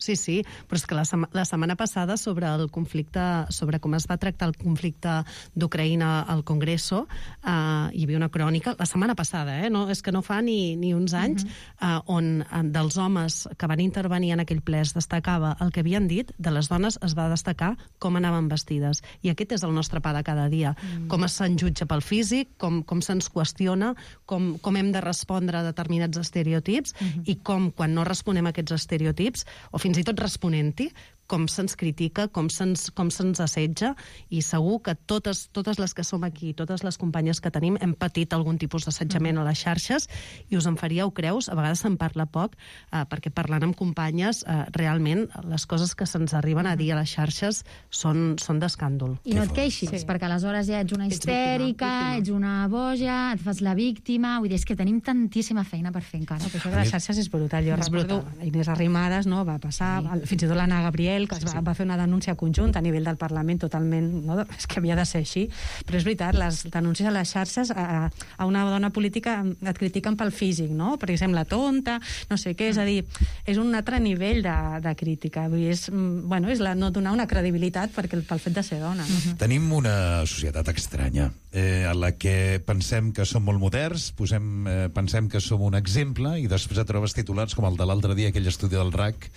S12: Sí, sí, però és que la, sema, la setmana passada sobre el conflicte, sobre com es va tractar el conflicte d'Ucraïna al Congreso, eh, hi havia una crònica, la setmana passada, eh, no, és que no fa ni, ni uns anys, uh-huh. eh, on eh, dels homes que van intervenir en aquell ple es destacava el que havien dit, de les dones es va destacar com anaven vestides. I aquest és el nostre pa de cada dia. Mm. Com se'n jutja pel físic, com, com se'ns qüestiona, com, com hem de respondre a determinats estereotips, uh-huh. i com, quan no responem a aquests estereotips, o fins i tot responent-hi, com se'ns critica, com se'ns com se'ns assetja, i segur que totes, totes les que som aquí, totes les companyes que tenim, hem patit algun tipus d'assetjament a les xarxes, i us en faríeu creus, a vegades se'n parla poc, eh, perquè parlant amb companyes, eh, realment les coses que se'ns arriben a dir a les xarxes són, són d'escàndol.
S14: I no et queixis, sí. perquè aleshores ja ets una histèrica, ets una boja, et fas la víctima, vull dir, és que tenim tantíssima feina per fer encara.
S13: Però això de les xarxes és brutal. Jo recordo, Inés Arrimadas, no, va passar, sí. fins i tot l'Anna Gabriel, que sí, sí. Va, va fer una denúncia conjunta a nivell del Parlament totalment, no, és que havia de ser així, però és veritat, les denúncies a les xarxes a, a una dona política et critiquen pel físic, no? Perquè sembla tonta, no sé què, és a dir, és un altre nivell de, de crítica. Vull dir, és, bueno, és la, no donar una credibilitat perquè, pel fet de ser dona. No?
S8: Uh-huh. Tenim una societat estranya, eh, en la que pensem que som molt moderns, posem, eh, pensem que som un exemple, i després et trobes titulars com el de l'altre dia, aquell estudi del R A C,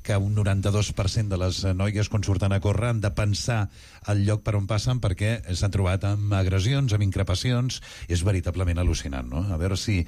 S8: que un noranta-dos per cent de les noies quan surten a córrer han de pensar el lloc per on passen perquè s'han trobat amb agressions, amb increpacions. És veritablement al·lucinant, no? A veure si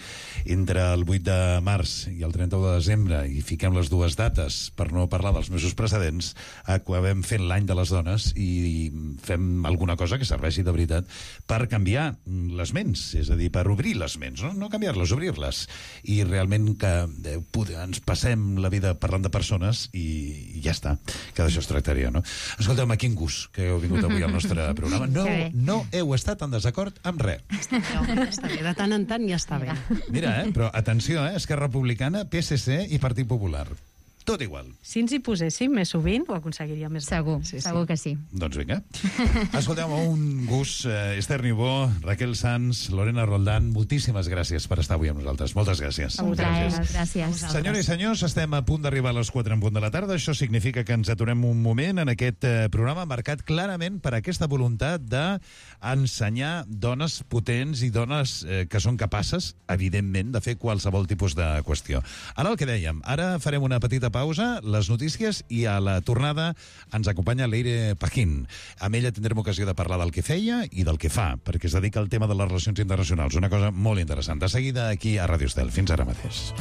S8: entre el vuit de març i el trenta-u de desembre, i fiquem les dues dates per no parlar dels mesos precedents, acabem fent l'any de les dones i fem alguna cosa que serveixi de veritat per canviar les ments, és a dir, per obrir les ments, no, no canviar-les, obrir-les, i realment que eh, ens passem la vida parlant de persones i ja està, que d'això es tractaria, no? Escolteu-me, quin gust que heu vingut avui al nostre programa. No, no heu estat en desacord amb res.
S12: Està bé, està bé, de tant en tant ja està bé.
S8: Mira, eh, però atenció, eh, Esquerra Republicana, P S C i Partit Popular. Tot igual.
S13: Si ens hi poséssim més sovint, ho aconseguiríem més.
S14: Segur, sí, segur sí. que sí.
S8: Doncs vinga. Escolteu-me, un gust. Eh, Esther Niubó, Raquel Sanz, Lorena Roldán, moltíssimes gràcies per estar avui amb nosaltres. Moltes gràcies.
S14: A vosaltres. Gràcies.
S8: Senyores i senyors, estem a punt d'arribar a les quatre en punt de la tarda. Això significa que ens aturem un moment en aquest eh, programa marcat clarament per aquesta voluntat d'ensenyar dones potents i dones eh, que són capaces, evidentment, de fer qualsevol tipus de qüestió. Ara el que dèiem, ara farem una petita pausa, les notícies, i a la tornada ens acompanya Leire Paquín. Amb ella tindrem ocasió de parlar del que feia i del que fa, perquè es dedica al tema de les relacions internacionals, una cosa molt interessant. De seguida aquí a Ràdio Estel. Fins ara mateix.